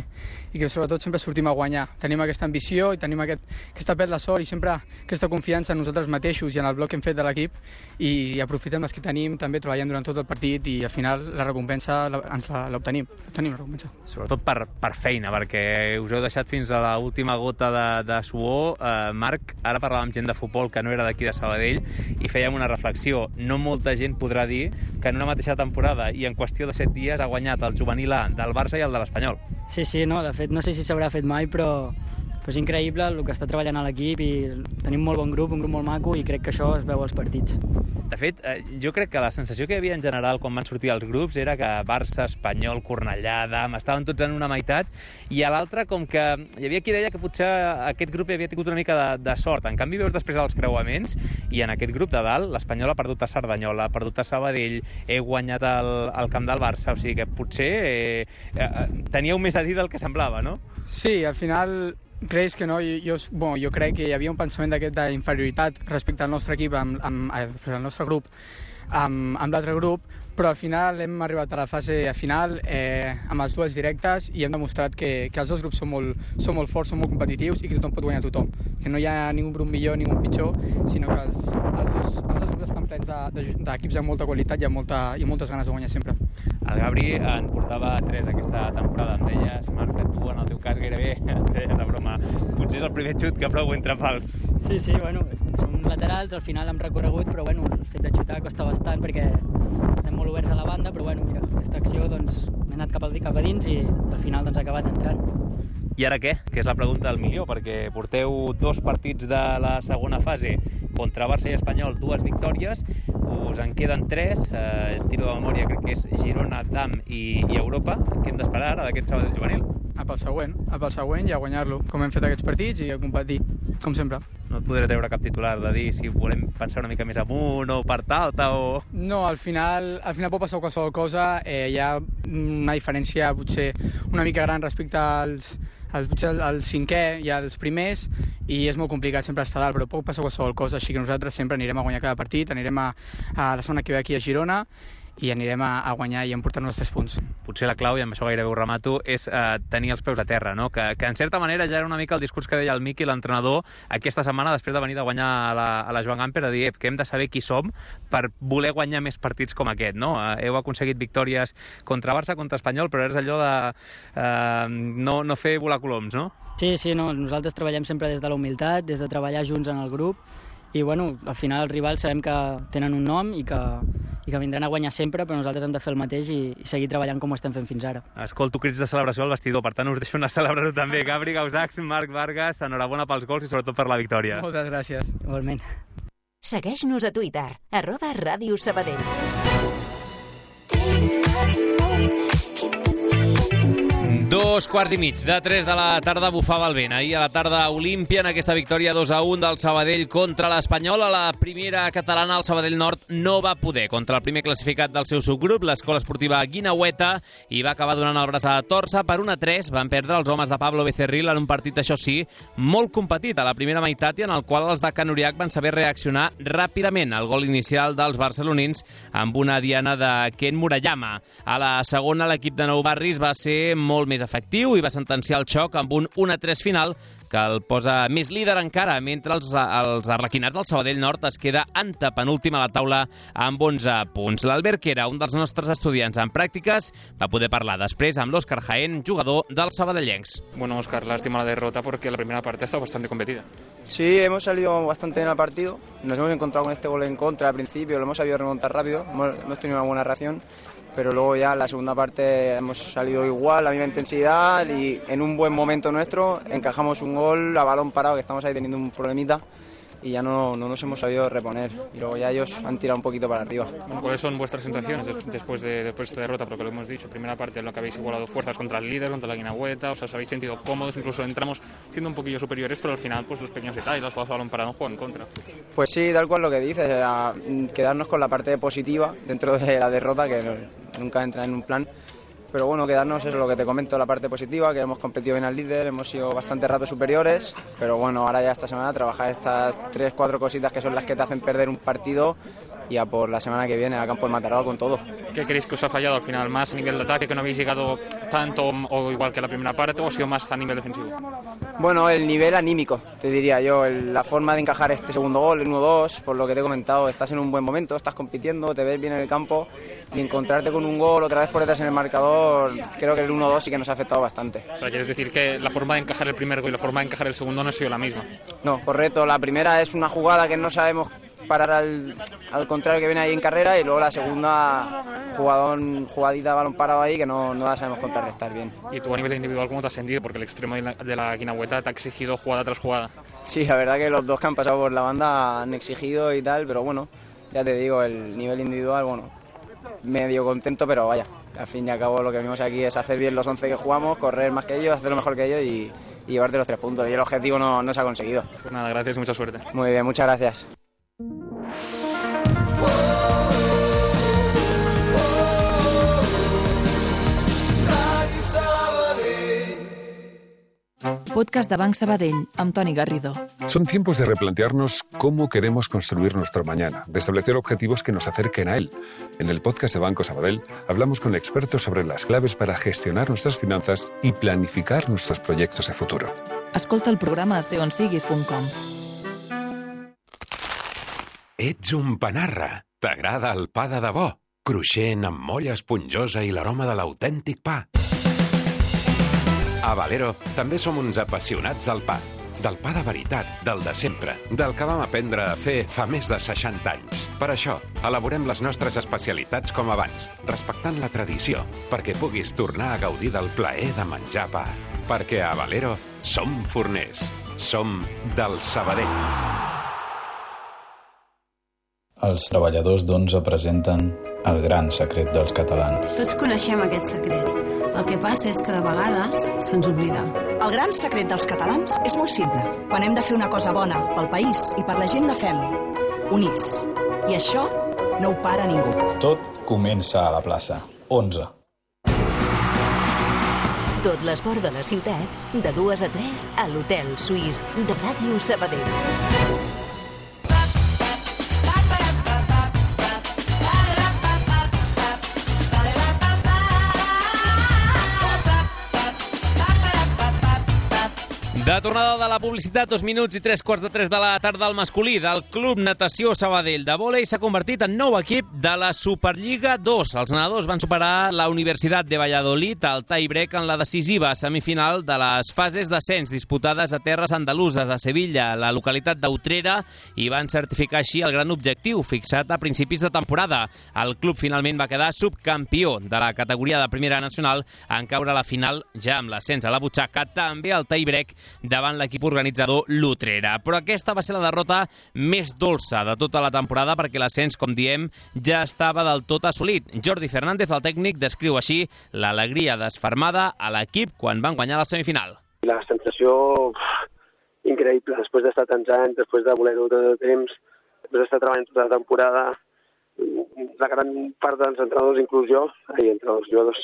i que sobretot sempre sortim a guanyar. Tenim aquesta ambició i tenim aquest, aquesta pet la sort i sempre aquesta confiança en nosaltres mateixos i en el bloc que hem fet de l'equip i, i aprofitem les que tenim, també treballant durant tot el partit i al final la recompensa la, ens l'obtenim. Obtenim la recompensa. Sobretot per, per feina, perquè us heu deixat fins a l'última gota de, de suor. Eh, Marc, ara parlàvem gent de futbol que no era d'aquí de Sabadell i fèiem una reflexió. No molta gent podrà dir que en una mateixa temporada i en qüestió de set dies ha guanyat el juvenil A del Barça i el de l'Espanyol. Sí, sí, no, de fet no sé si s'haurà fet mai, però, però és increïble el que està treballant a l'equip i tenim molt bon grup, un grup molt maco i crec que això es veu als partits. De fet, jo crec que la sensació que hi havia en general quan van sortir els grups era que Barça, Espanyol, Cornellà, Adam, estaven tots en una meitat i a l'altra com que hi havia qui deia que potser aquest grup havia tingut una mica de, de sort. En canvi, veus després els creuaments i en aquest grup de dalt l'Espanyol ha perdut a Cerdanyola, ha perdut a Sabadell, he guanyat el, el camp del Barça, o sigui que potser eh, eh, teníeu més a dir del que semblava, no? Sí, al final creus que no? Jo, jo, bon, jo crec que hi havia un pensament d'aquest d'inferioritat respecte al nostre equip, amb, amb, amb el nostre grup, amb, amb l'altre grup, però al final hem arribat a la fase final eh, amb els duels directes i hem demostrat que, que els dos grups són molt, són molt forts, són molt competitius i que tothom pot guanyar tothom. Que no hi ha ningú grup millor, ningú pitjor, sinó que els, els, dos, els dos grups estan plens d'equips de, de, amb molta qualitat i amb, molta, i amb moltes ganes de guanyar sempre. El Gabri en portava tres aquesta temporada. Em deies, Marc, que tu en el teu cas gairebé em deies de broma. Potser és el primer xut que prou entre pals. Sí, sí, bueno, som laterals, al final hem recorregut, però bueno, el fet de xutar costa bastant perquè estem molt oberts a la banda, però bueno, mira, aquesta acció doncs m'he anat cap, al, cap a dins i al final doncs ha acabat entrant. I ara què? Que és la pregunta del milió, perquè porteu dos partits de la segona fase contra Barça i Espanyol, dues victòries, us en queden tres, eh, tiro de memòria, crec que és Girona, Dam i, i Europa. Què hem d'esperar ara d'aquest Sabadell juvenil? A pel següent, a pel següent i a guanyar-lo, com hem fet aquests partits i a competir, com sempre. No et podré treure cap titular de dir si volem pensar una mica més amunt o part alta o... No, al final, al final pot passar qualsevol cosa, eh, hi ha una diferència potser una mica gran respecte als el, potser el, el cinquè i els primers i és molt complicat sempre estar dalt, però pot passar qualsevol cosa, així que nosaltres sempre anirem a guanyar cada partit, anirem a, a la setmana que ve aquí a Girona i anirem a, a guanyar i a emportar-nos els tres punts. Potser la clau, i amb això gairebé ho remato, és eh, tenir els peus a terra, no? Que, que en certa manera ja era una mica el discurs que deia el Miqui, l'entrenador, aquesta setmana després de venir de guanyar a la, a la Joan Gamper, a dir que hem de saber qui som per voler guanyar més partits com aquest, no? Eh, heu aconseguit victòries contra Barça, contra Espanyol, però és allò de eh, no, no fer volar coloms, no? Sí, sí, no, nosaltres treballem sempre des de la humilitat, des de treballar junts en el grup, i bueno, al final els rivals sabem que tenen un nom i que, i que vindran a guanyar sempre, però nosaltres hem de fer el mateix i, i seguir treballant com ho estem fent fins ara. Escolto crits de celebració al vestidor, per tant us deixo anar a celebrar-ho també. Gabri Gausacs, Marc Vargas, enhorabona pels gols i sobretot per la victòria. Moltes gràcies, igualment. Segueix-nos a Twitter, arroba Ràdio Sabadell. Dos quarts i mig de tres de la tarda bufava el vent. Ahir a la tarda a Olímpia, en aquesta victòria dos a un del Sabadell contra l'Espanyol. A la primera catalana, el Sabadell Nord no va poder contra el primer classificat del seu subgrup, l'Escola Esportiva Guinaueta, i va acabar donant el braç a torça. Per un a tres van perdre els homes de Pablo Becerril en un partit, això sí, molt competit a la primera meitat i en el qual els de Can Uriach van saber reaccionar ràpidament al gol inicial dels barcelonins amb una diana de Ken Murayama. A la segona, l'equip de Nou Barris va ser molt més efectiu i va sentenciar el xoc amb un un a tres final que el posa més líder encara, mentre els, els arlequinats del Sabadell Nord es queda antepenúltim a la taula amb onze punts. L'Albert Quera, un dels nostres estudiants en pràctiques, va poder parlar després amb l'Òscar Jaén, jugador dels sabadellencs. Bueno, Óscar, lástima la derrota porque la primera parte ha estado bastante competida. Sí, hemos salido bastante bien al partido. Nos hemos encontrado con este gol en contra al principio, lo hemos sabido remontar rápido, hemos, hemos tenido una buena reacción. Pero luego ya en la segunda parte hemos salido igual, la misma intensidad y en un buen momento nuestro encajamos un gol a balón parado, que estamos ahí teniendo un problemita y ya no, no nos hemos sabido reponer. Y luego ya ellos han tirado un poquito para arriba. Bueno, ¿cuáles son vuestras sensaciones después de, después de esta derrota? Porque lo hemos dicho, primera parte en la que habéis igualado fuerzas contra el líder, contra la Guinaueta, os habéis sentido cómodos, incluso entramos siendo un poquillo superiores, pero al final pues los pequeños detalles, los jugadas a balón parado juegan en contra. Pues sí, tal cual lo que dices, era quedarnos con la parte positiva dentro de la derrota, que nunca entra en un plan. Pero bueno, quedarnos, eso es lo que te comento, la parte positiva, que hemos competido bien al líder, hemos sido bastante rato superiores, pero bueno, ahora ya esta semana trabajar estas tres, cuatro cositas que son las que te hacen perder un partido y a por la semana que viene a campo del Mataró con todo. ¿Qué creéis que os ha fallado al final? ¿Más a nivel de ataque, que no habéis llegado tanto o igual que la primera parte, o ha sido más a nivel defensivo? Bueno, el nivel anímico, te diría yo, el, la forma de encajar este segundo gol, el uno dos, por lo que te he comentado, estás en un buen momento, estás compitiendo, te ves bien en el campo y encontrarte con un gol otra vez por detrás en el marcador, creo que el uno dos sí que nos ha afectado bastante. O sea, ¿quieres decir que la forma de encajar el primer gol y la forma de encajar el segundo no ha sido la misma? No, correcto, la primera es una jugada que no sabemos parar al, al contrario que viene ahí en carrera, y luego la segunda jugadón, jugadita de balón parado ahí que no, no la sabemos contrarrestar bien. ¿Y tú a nivel individual cómo te has sentido? Porque el extremo de la, de la Guinaueta te ha exigido jugada tras jugada. Sí, la verdad que los dos que han pasado por la banda han exigido y tal, pero bueno, ya te digo, el nivel individual, bueno, medio contento, pero vaya, al fin y al cabo lo que venimos aquí es hacer bien los once que jugamos, correr más que ellos, hacerlo mejor que ellos y, y llevarte los tres puntos, y el objetivo no, no se ha conseguido. Pues nada, gracias y mucha suerte. Muy bien, muchas gracias. Podcast de Banc Sabadell, amb Toni Garrido. Son tiempos de replantearnos cómo queremos construir nuestro mañana, de establecer objetivos que nos acerquen a él. En el podcast de Banco Sabadell hablamos con expertos sobre las claves para gestionar nuestras finanzas y planificar nuestros proyectos de futuro. Escolta el programa a seonsiguis punt com. Ets un panarra. T'agrada el pa de debò, cruixent, amb molla esponjosa i l'aroma de l'autèntic pa. A Valero també som uns apassionats del pa. Del pa de veritat, del de sempre, del que vam aprendre a fer fa més de seixanta anys. Per això, elaborem les nostres especialitats com abans, respectant la tradició, perquè puguis tornar a gaudir del plaer de menjar pa. Perquè a Valero som forners, som del Sabadell. Els treballadors d'Onze presenten El gran secret dels catalans. Tots coneixem aquest secret. El que passa és que de vegades se'ns oblida. El gran secret dels catalans és molt simple. Quan hem de fer una cosa bona pel país i per la gent la fem units. I això no ho para ningú. Tot comença a la plaça. Onze. Tot l'esport de la ciutat, de dues a tres, a l'Hotel Suís de Ràdio Sabadell. De tornada de la publicitat, dos minuts i tres quarts de tres de la tarda al masculí del Club Natació Sabadell de vòlei s'ha convertit en nou equip de la Superliga dos. Els nedadors van superar la Universitat de Valladolid al tie-break en la decisiva semifinal de les fases d'ascens disputades a terres andaluses a Sevilla, la localitat d'Utrera, i van certificar així el gran objectiu fixat a principis de temporada. El club finalment va quedar subcampió de la categoria de primera nacional en caure a la final ja amb l'ascens a la butxaca, també al tie-break davant l'equip organitzador l'Utrera. Però aquesta va ser la derrota més dolça de tota la temporada perquè l'ascens, com diem, ja estava del tot assolit. Jordi Fernández, el tècnic, descriu així l'alegria desfermada a l'equip quan van guanyar la semifinal. La sensació increïble, després d'estar tants anys, després de voler-ho tot el temps, després d'estar treballant tota la temporada, la gran part dels entrenadors, inclús jo, i entre els jugadors,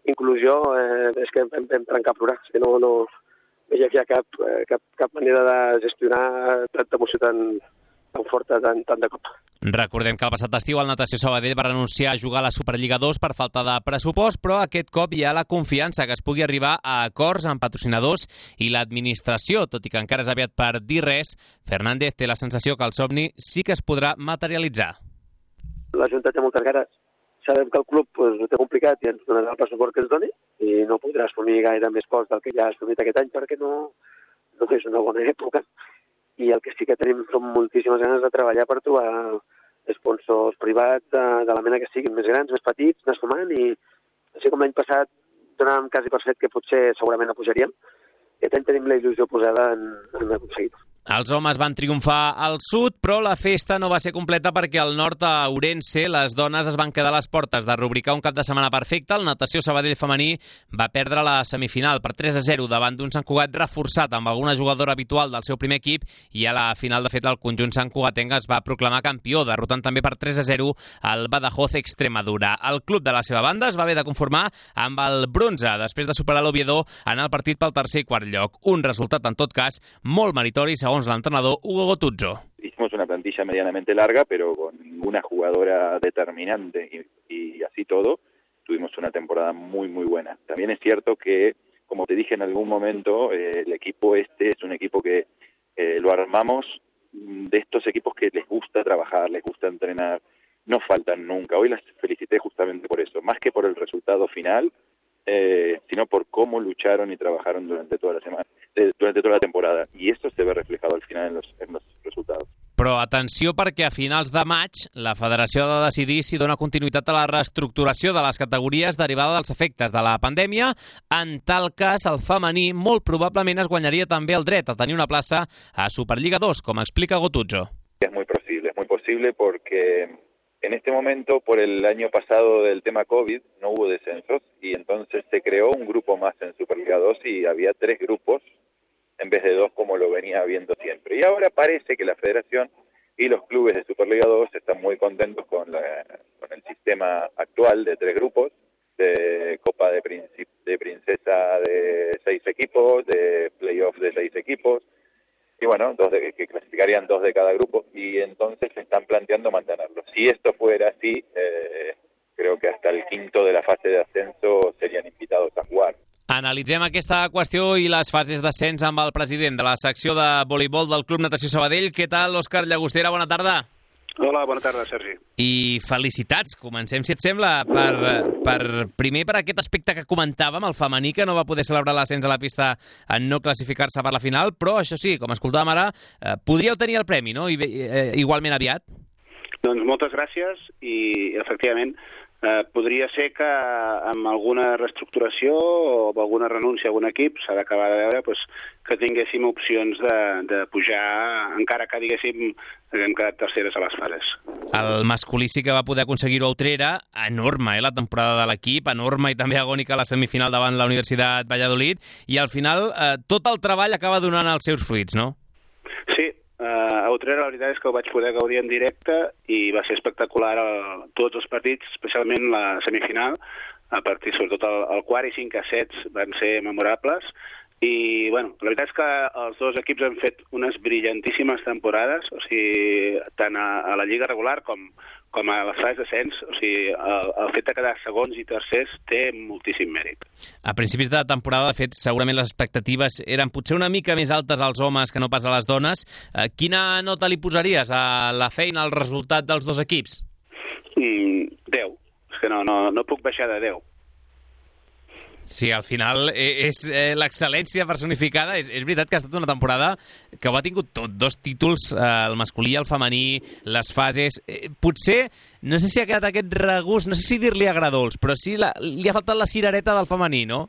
inclusió, eh, és que vam, vam trencar a plorar. És que no, no, no hi havia cap, cap, cap manera de gestionar tanta emoció tan, tan forta, tan, tan de cop. Recordem que el passat estiu el Natació Sabadell va renunciar a jugar a la Superliga dos per falta de pressupost, però aquest cop hi ha la confiança que es pugui arribar a acords amb patrocinadors i l'administració. Tot i que encara és aviat per dir res, Fernández té la sensació que el somni sí que es podrà materialitzar. La Junta té moltes ganes. Sabem que el club pues, ho té complicat i ens donarà el pressupost que ens doni i no podrà assumir gaire més cost del que ja ha assumit aquest any perquè no, no és una bona època. I el que sí que tenim són moltíssimes ganes de treballar per trobar sponsors privats de, de la mena que siguin, més grans, més petits, anar sumant i així com l'any passat donàvem quasi per fet que potser segurament no pujaríem, aquest any tenim la il·lusió posada en, en aconseguir-ho. Els homes van triomfar al sud, però la festa no va ser completa perquè al nord, a Ourense, les dones es van quedar a les portes de rubricar un cap de setmana perfecte. El Natació Sabadell femení va perdre la semifinal per tres a zero davant d'un Sant Cugat reforçat amb alguna jugadora habitual del seu primer equip i a la final, de fet, el conjunt santcugatenc es va proclamar campió, derrotant també per tres a zero el Badajoz Extremadura. El club de la seva banda es va haver de conformar amb el bronze després de superar l'Oviedo en el partit pel tercer i quart lloc. Un resultat, en tot cas, molt meritori, segons el entrenador Hugo Gotuzzo. Hicimos una plantilla medianamente larga, pero con ninguna jugadora determinante y, y así todo, tuvimos una temporada muy, muy buena. También es cierto que, como te dije en algún momento, eh, el equipo este es un equipo que eh, lo armamos de estos equipos que les gusta trabajar, les gusta entrenar, no faltan nunca. Hoy las felicité justamente por eso, más que por el resultado final, eh, sino por cómo lucharon y trabajaron durante toda la semana. durante toda la temporada, i eso se ve reflejado al final en los, en los resultados. Però atenció perquè a finals de maig la federació ha de decidir si dona continuïtat a la reestructuració de les categories derivada dels efectes de la pandèmia. En tal cas, el femení molt probablement es guanyaria també el dret a tenir una plaça a Superliga dos, com explica Gotuzzo. Es muy posible, es muy posible porque en este momento, por el año pasado del tema COVID, no hubo descensos y entonces se creó un grupo más en Superliga dos y había tres grupos en vez de dos como lo venía habiendo siempre. Y ahora parece que la federación y los clubes de Superliga dos están muy contentos con, la, con el sistema actual de tres grupos, de Copa de, Princip de Princesa de seis equipos, de playoff de seis equipos, y bueno, dos de, que clasificarían dos de cada grupo, y entonces se están planteando mantenerlo. Si esto fuera así, eh, creo que hasta el quinto de la fase de ascenso serían invitados a jugar. Analitzem aquesta qüestió i les fases d'ascens amb el president de la secció de voleibol del Club Natació Sabadell. Què tal, Òscar Llagostera? Bona tarda. Hola, bona tarda, Sergi. I felicitats. Comencem, si et sembla, per, per primer per aquest aspecte que comentàvem, el femení, que no va poder celebrar l'ascens a la pista en no classificar-se per la final, però això sí, com escoltàvem ara, eh, podríeu tenir el premi, no? I, eh, igualment aviat. Doncs moltes gràcies i, efectivament, Eh, podria ser que amb alguna reestructuració o amb alguna renúncia a algun equip s'ha d'acabar de veure pues, que tinguéssim opcions de, de pujar, encara que diguéssim que hem quedat terceres a les fases. El masculí sí que va poder aconseguir-ho a Utrera, enorme eh, la temporada de l'equip, enorme i també agònica la semifinal davant la Universitat Valladolid, i al final eh, tot el treball acaba donant els seus fruits, no? Sí. Uh, a Utrera la veritat és que ho vaig poder gaudir en directe i va ser espectacular el, tots els partits, especialment la semifinal, a partir sobretot el, el quart i cinc a sets van ser memorables i bueno, la veritat és que els dos equips han fet unes brillantíssimes temporades, o sigui, tant a, a la lliga regular com, com a les fases d'ascens, o sigui, el, el fet de quedar segons i tercers té moltíssim mèrit. A principis de temporada, de fet, segurament les expectatives eren potser una mica més altes als homes que no pas a les dones. Eh, quina nota li posaries a la feina, al resultat dels dos equips? Mm, deu. És que no, no, no puc baixar de deu. Sí, al final és eh, l'excel·lència personificada. És, és veritat que ha estat una temporada que ho ha tingut tot, dos títols, eh, el masculí i el femení, les fases. Eh, potser, no sé si ha quedat aquest regust, no sé si dir-li agradols, però sí la, li ha faltat la cirereta del femení, no?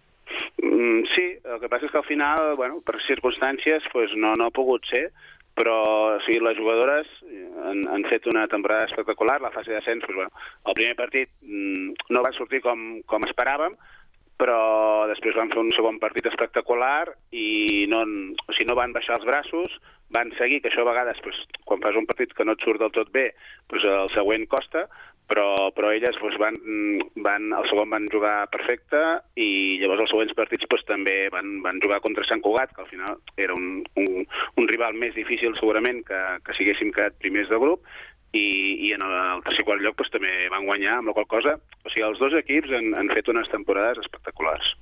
Mm, sí, el que passa és que al final, bueno, per circumstàncies, pues, no, no ha pogut ser, però o sigui, les jugadores han, han fet una temporada espectacular. La fase d'ascens, pues, bueno, el primer partit mm, no va sortir com, com esperàvem, però després van fer un segon partit espectacular i no, o sigui, no van baixar els braços, van seguir, que això a vegades, pues, quan fas un partit que no et surt del tot bé, pues, el següent costa, però, però elles pues, van, van, el segon van jugar perfecte i llavors els següents partits pues, també van, van jugar contra Sant Cugat, que al final era un, un, un rival més difícil segurament que, que si haguéssim quedat primers de grup, i, i en el tercer quart lloc pues, també van guanyar, amb la qual cosa, o sigui, els dos equips han, han fet unes temporades espectaculars.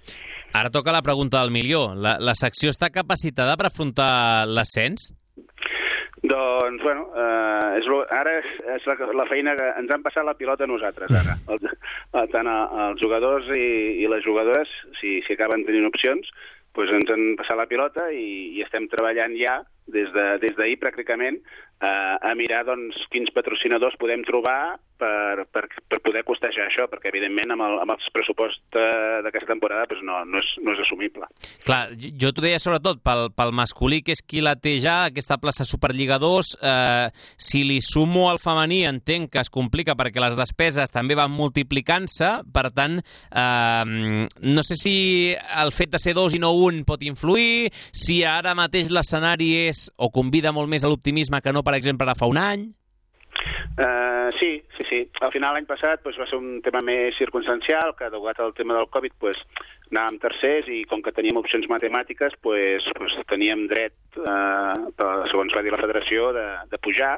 Ara toca la pregunta del milió. La, la secció està capacitada per afrontar l'ascens? Doncs, bueno, eh, és, ara és, és la, la feina que ens han passat la pilota a nosaltres, ara. El, tant els jugadors i, i les jugadores, si, si acaben tenint opcions, doncs ens han passat la pilota i, i estem treballant ja, des de, des d'ahir pràcticament, eh, a mirar doncs, quins patrocinadors podem trobar per, per, per poder costejar això, perquè evidentment amb el, amb el pressupost d'aquesta temporada doncs, no, no, és, no és assumible. Clar, jo t'ho deia sobretot pel, pel masculí, que és qui la té ja, aquesta plaça Superliga dos, eh, si li sumo al femení entenc que es complica perquè les despeses també van multiplicant-se, per tant, eh, no sé si el fet de ser dos i no un pot influir, si ara mateix l'escenari és o convida molt més a l'optimisme que no, per exemple, ara fa un any? Uh, sí, sí, sí. Al final l'any passat pues, va ser un tema més circumstancial, que degut al tema del Covid pues, anàvem tercers i com que teníem opcions matemàtiques pues, pues, teníem dret, uh, segons va dir la federació, de, de pujar,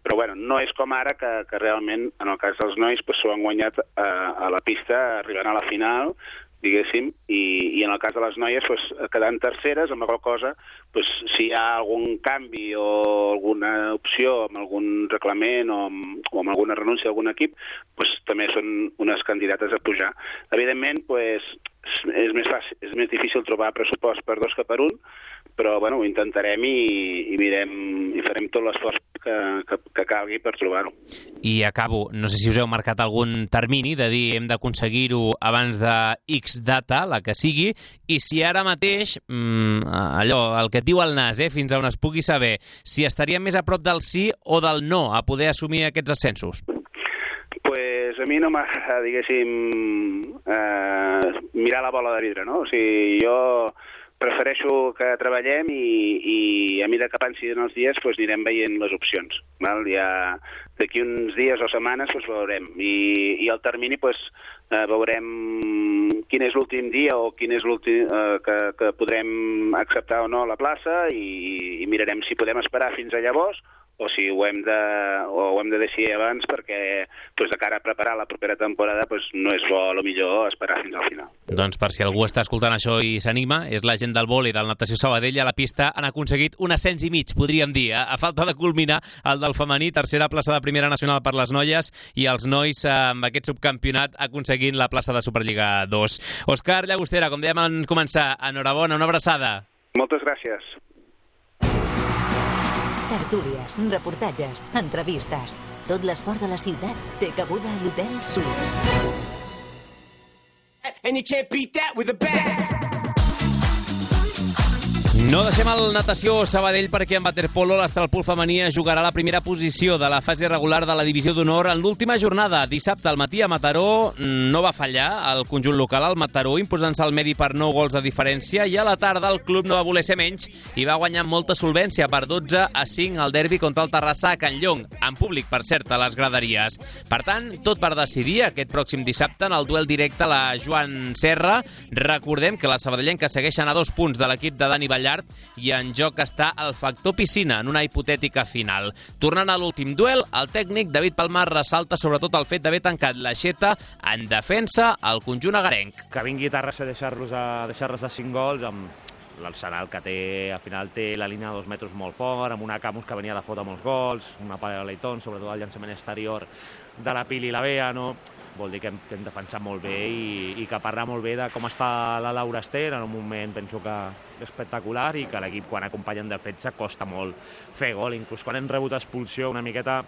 però bueno, no és com ara que, que realment en el cas dels nois pues, s'ho han guanyat uh, a la pista arribant a la final, diguéssim, i, i en el cas de les noies pues, quedant terceres, amb la qual cosa pues, si hi ha algun canvi o alguna opció amb algun reglament o amb, o amb alguna renúncia d'algun equip, pues, també són unes candidates a pujar. Evidentment, pues, és més fàcil, és més difícil trobar pressupost per dos que per un, però bueno, ho intentarem i, i mirem i farem tot l'esforç que, que, que calgui per trobar-ho. I acabo, no sé si us heu marcat algun termini de dir hem d'aconseguir-ho abans de X data, la que sigui, i si ara mateix, mmm, allò, el que et diu el nas, eh, fins a on es pugui saber, si estaríem més a prop del sí o del no a poder assumir aquests ascensos? Pues a mi no m'agrada, diguéssim, eh, mirar la bola de vidre, no? O sigui, jo prefereixo que treballem i, i a mesura que passin els dies pues, anirem veient les opcions. Val? Ja d'aquí uns dies o setmanes pues, veurem. I, i el termini pues, eh, veurem quin és l'últim dia o quin és l'últim eh, que, que podrem acceptar o no la plaça i, i mirarem si podem esperar fins a llavors o si ho hem de, o ho hem de decidir abans perquè pues, de cara a preparar la propera temporada pues, no és bo, a lo millor, esperar fins al final. Doncs per si algú està escoltant això i s'anima, és la gent del vòlei del Natació Sabadell. A la pista han aconseguit un ascens i mig, podríem dir, a, a falta de culminar el del femení, tercera plaça de primera nacional per les noies i els nois amb aquest subcampionat aconseguint la plaça de Superliga dos. Òscar Llagostera, com dèiem en començar, enhorabona, una abraçada. Moltes gràcies. Tertúlies, reportatges, entrevistes. Tot l'esport de la ciutat té cabuda a l'Hotel Suís. And you can't beat that with a bat. No deixem el Natació Sabadell perquè en waterpolo l'Astralpool femení jugarà la primera posició de la fase regular de la divisió d'honor en l'última jornada. Dissabte al matí a Mataró no va fallar el conjunt local al Mataró imposant-se al medi per nou gols de diferència i a la tarda el club no va voler ser menys i va guanyar molta solvència per dotze a cinc al derbi contra el Terrassa a Can Llong, en públic, per cert, a les graderies. Per tant, tot per decidir aquest pròxim dissabte en el duel directe a la Joan Serra. Recordem que les sabadellenques segueixen a dos punts de l'equip de Dani Ballart i en joc està el factor piscina en una hipotètica final. Tornant a l'últim duel, el tècnic David Palmar ressalta sobretot el fet d'haver tancat l'aixeta en defensa al conjunt agarenc. Que vingui Terrassa a deixar-los a deixar-los a cinc gols amb l'arsenal que té, al final té la línia de dos metres molt fort, amb una Camus que venia de fotre molts gols, una Pare de Leitón, sobretot el llançament exterior de la Pili i la Bea, no? Vol dir que hem, que hem defensat molt bé i, i que parla molt bé de com està la Laura Ester, en un moment penso que espectacular i que l'equip, quan acompanya en defensa, costa molt fer gol. Inclús quan hem rebut expulsió, una miqueta,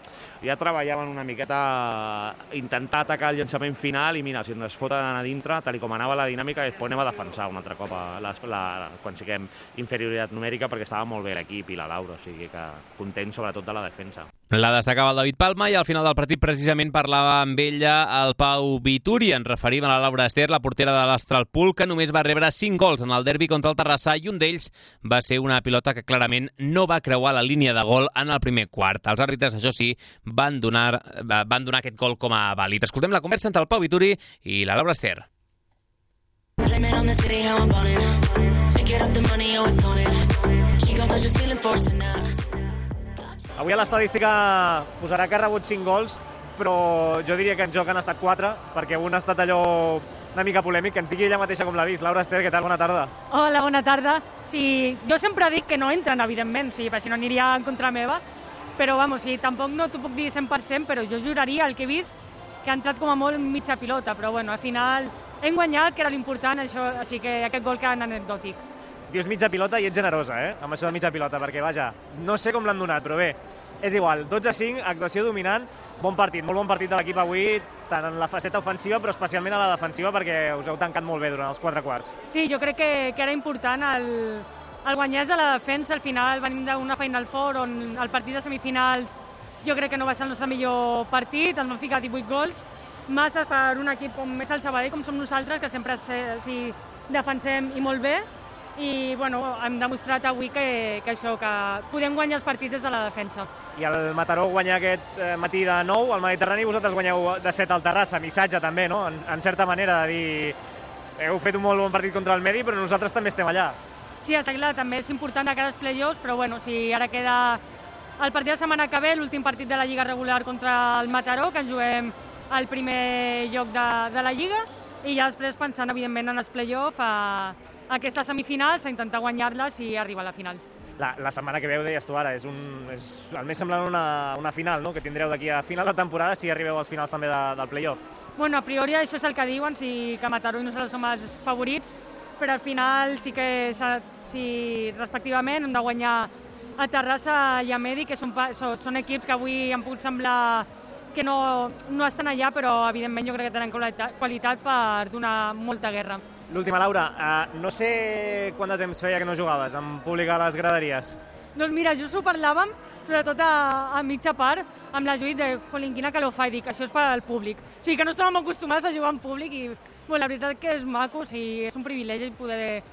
ja treballaven una miqueta intentar atacar el llançament final i mira, si ens foten a dintre, tal com anava la dinàmica, després anem a defensar un altre cop a la, la, quan siguem inferioritat numèrica, perquè estava molt bé l'equip i la Laura, o sigui que content sobretot de la defensa. La destacava el David Palma i al final del partit precisament parlava amb ella el Pau Vituri. Ens referim a la Laura Ester, la portera de l'Astralpool, que només va rebre cinc gols en el derbi contra el Terrassa i un d'ells va ser una pilota que clarament no va creuar la línia de gol en el primer quart. Els àrbitres, això sí, van donar, van donar aquest gol com a vàlid. Escoltem la conversa entre el Pau Vituri i la Laura Ester. Avui a l'estadística posarà que ha rebut cinc gols, però jo diria que en joc han estat quatre, perquè un ha estat allò una mica polèmic, que ens digui ella mateixa com l'ha vist. Laura Ester, què tal? Bona tarda. Hola, bona tarda. Sí, jo sempre dic que no entren, evidentment, sí, perquè si no aniria en contra meva, però vamos, sí, tampoc no t'ho puc dir cent per cent, però jo juraria el que he vist que ha entrat com a molt mitja pilota, però bueno, al final hem guanyat, que era l'important, això, així que aquest gol queda anecdòtic. Dius mitja pilota i ets generosa, eh? Amb això de mitja pilota, perquè, vaja, no sé com l'han donat, però bé, és igual. dotze a cinc, actuació dominant, bon partit, molt bon partit de l'equip avui, tant en la faceta ofensiva, però especialment a la defensiva, perquè us heu tancat molt bé durant els quatre quarts. Sí, jo crec que, que era important el, el guanyar de la defensa. Al final venim d'una Final Four on el partit de semifinals jo crec que no va ser el nostre millor partit, ens vam ficar divuit gols, massa per un equip com és el Sabadell, com som nosaltres, que sempre sí, defensem i molt bé, i bueno, hem demostrat avui que, que això, que podem guanyar els partits des de la defensa. I el Mataró guanya aquest matí de nou al Mediterrani, vosaltres guanyeu de set al Terrassa, missatge també, no? En, en certa manera de dir, heu fet un molt bon partit contra el Medi, però nosaltres també estem allà. Sí, està clar, també és important de cara als play-offs, però bueno, si ara queda el partit de setmana que ve, l'últim partit de la Lliga regular contra el Mataró, que ens juguem al primer lloc de, de la Lliga, i ja després pensant, evidentment, en els play-offs, a aquestes semifinals, a intentar guanyar-les i arribar a la final. La, la setmana que veu, deies tu ara, és, un, és el més semblant una, una final, no?, que tindreu d'aquí a final de temporada si arribeu als finals també de, del play-off. Bueno, a priori això és el que diuen, si que Mataró i nosaltres som els favorits, però al final sí que si, respectivament hem de guanyar a Terrassa i a Medi, que són, són equips que avui han pogut semblar que no, no estan allà, però evidentment jo crec que tenen qualitat per donar molta guerra. L'última, Laura, uh, no sé quant de temps feia que no jugaves en públic a les graderies. Doncs mira, just ho parlàvem, sobretot a, a mitja part, amb la Judit de jolín, quina calor fa, i dic, això és per al públic. O sigui que no estàvem acostumats a jugar en públic i bueno, la veritat que és maco, o sigui, és un privilegi poder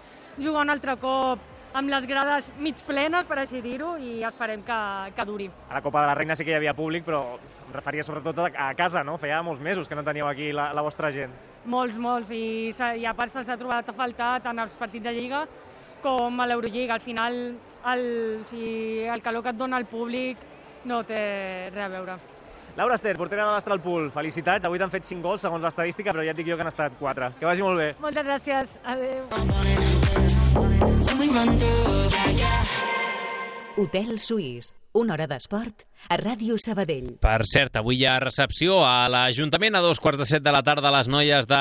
jugar un altre cop amb les grades mig plenes, per així dir-ho, i esperem que, que duri. A la Copa de la Reina sí que hi havia públic, però em referia sobretot a casa, no? Feia molts mesos que no teníeu aquí la, la vostra gent. Molts, molts, i, i a part se'ls ha trobat a faltar tant als partits de Lliga com a l'Eurolliga. Al final, el, si el calor que et dona el públic no té res a veure. Laura Ester, portera de l'Astralpool, felicitats. Avui t'han fet cinc gols segons l'estadística, però ja et dic jo que han estat quatre. Que vagi molt bé. Moltes gràcies. Adéu. Hotel Suís, una hora d'esport a Ràdio Sabadell. Per cert, avui hi ha recepció a l'Ajuntament a dos quarts de set de la tarda a les noies de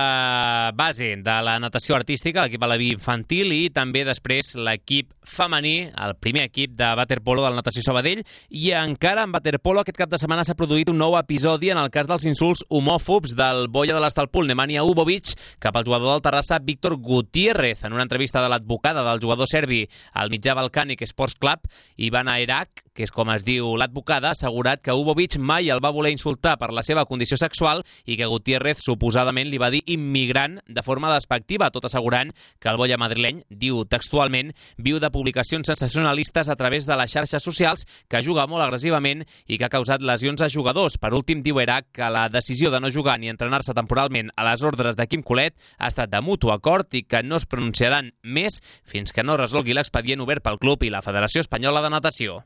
base de la natació artística, l'equip Aleví infantil, i també després l'equip femení, el primer equip de waterpolo del Natació Sabadell. I encara en waterpolo aquest cap de setmana s'ha produït un nou episodi en el cas dels insults homòfobs del boia de l'Astralpool, Nemanja Ubovic, cap al jugador del Terrassa, Víctor Gutiérrez. En una entrevista de l'advocada del jugador serbi al mitjà Balcànic Sports Club, Ivana Erak, que és com es diu l'advocada, ha assegurat que Ubovic mai el va voler insultar per la seva condició sexual i que Gutiérrez suposadament li va dir immigrant de forma despectiva, tot assegurant que el boia madrileny, diu textualment, viu de publicacions sensacionalistes a través de les xarxes socials, que juga molt agressivament i que ha causat lesions a jugadors. Per últim, diu Erak que la decisió de no jugar ni entrenar-se temporalment a les ordres de Quim Colet ha estat de mutu acord i que no es pronunciaran més fins que no resolgui l'expedient obert pel club i la Federació Espanyola de Natació.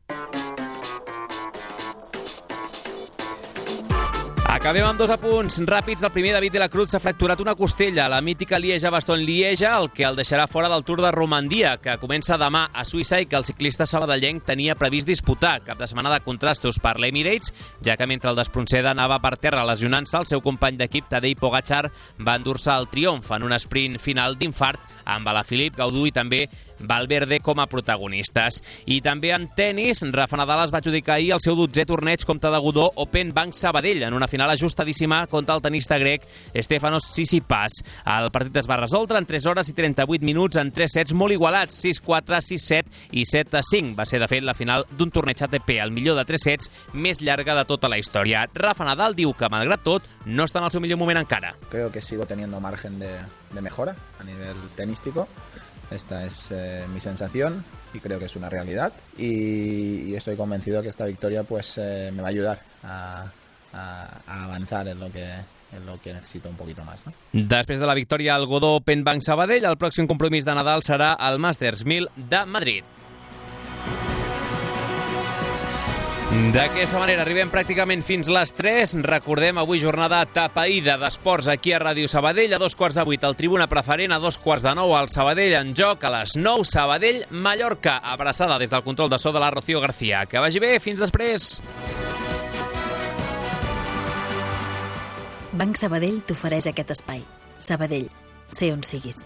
Acabem amb dos apunts ràpids. El primer, David de la Cruz s'ha fracturat una costella, la mítica Lieja-Bastogne-Lieja, el que el deixarà fora del Tour de Romandia, que comença demà a Suïssa i que el ciclista sabadellenc tenia previst disputar. Cap de setmana de contrastos per l'Emirates, ja que mentre el d'Espronceda anava per terra lesionant-se, el seu company d'equip, Tadej Pogačar, va endur-se el triomf en un sprint final d'infart amb Alaphilippe, Gaudu i també Valverde com a protagonistes. I també en tennis, Rafa Nadal es va adjudicar ahir el seu dotzè torneig Comte de Godó Open Banc Sabadell en una final ajustadíssima contra el tenista grec Stefanos Tsitsipas. El partit es va resoldre en tres hores i trenta-vuit minuts en tres sets molt igualats, sis quatre, sis set i set a cinc. Va ser, de fet, la final d'un torneig A T P, el millor de tres sets més llarga de tota la història. Rafa Nadal diu que, malgrat tot, no està en el seu millor moment encara. Creo que sigo teniendo margen de, de mejora a nivel tenístico. Esta es eh, mi sensación y creo que es una realidad. Y, y estoy convencido que esta victoria pues eh, me va a ayudar a, a, a avanzar en lo que... en lo que necesito un poquito más, ¿no? Després de la victòria al Godó Open Banc Sabadell, el pròxim compromís de Nadal serà el Masters mil de Madrid. D'aquesta manera arribem pràcticament fins les tres. Recordem, avui jornada tapaïda d'esports aquí a Ràdio Sabadell. A dos quarts de vuit, el Tribuna Preferent. A dos quarts de nou, el Sabadell en joc. A les nou, Sabadell-Mallorca. Abraçada des del control de so de la Rocío García. Que vagi bé, fins després. Banc Sabadell t'ofereix aquest espai. Sabadell, sé on siguis.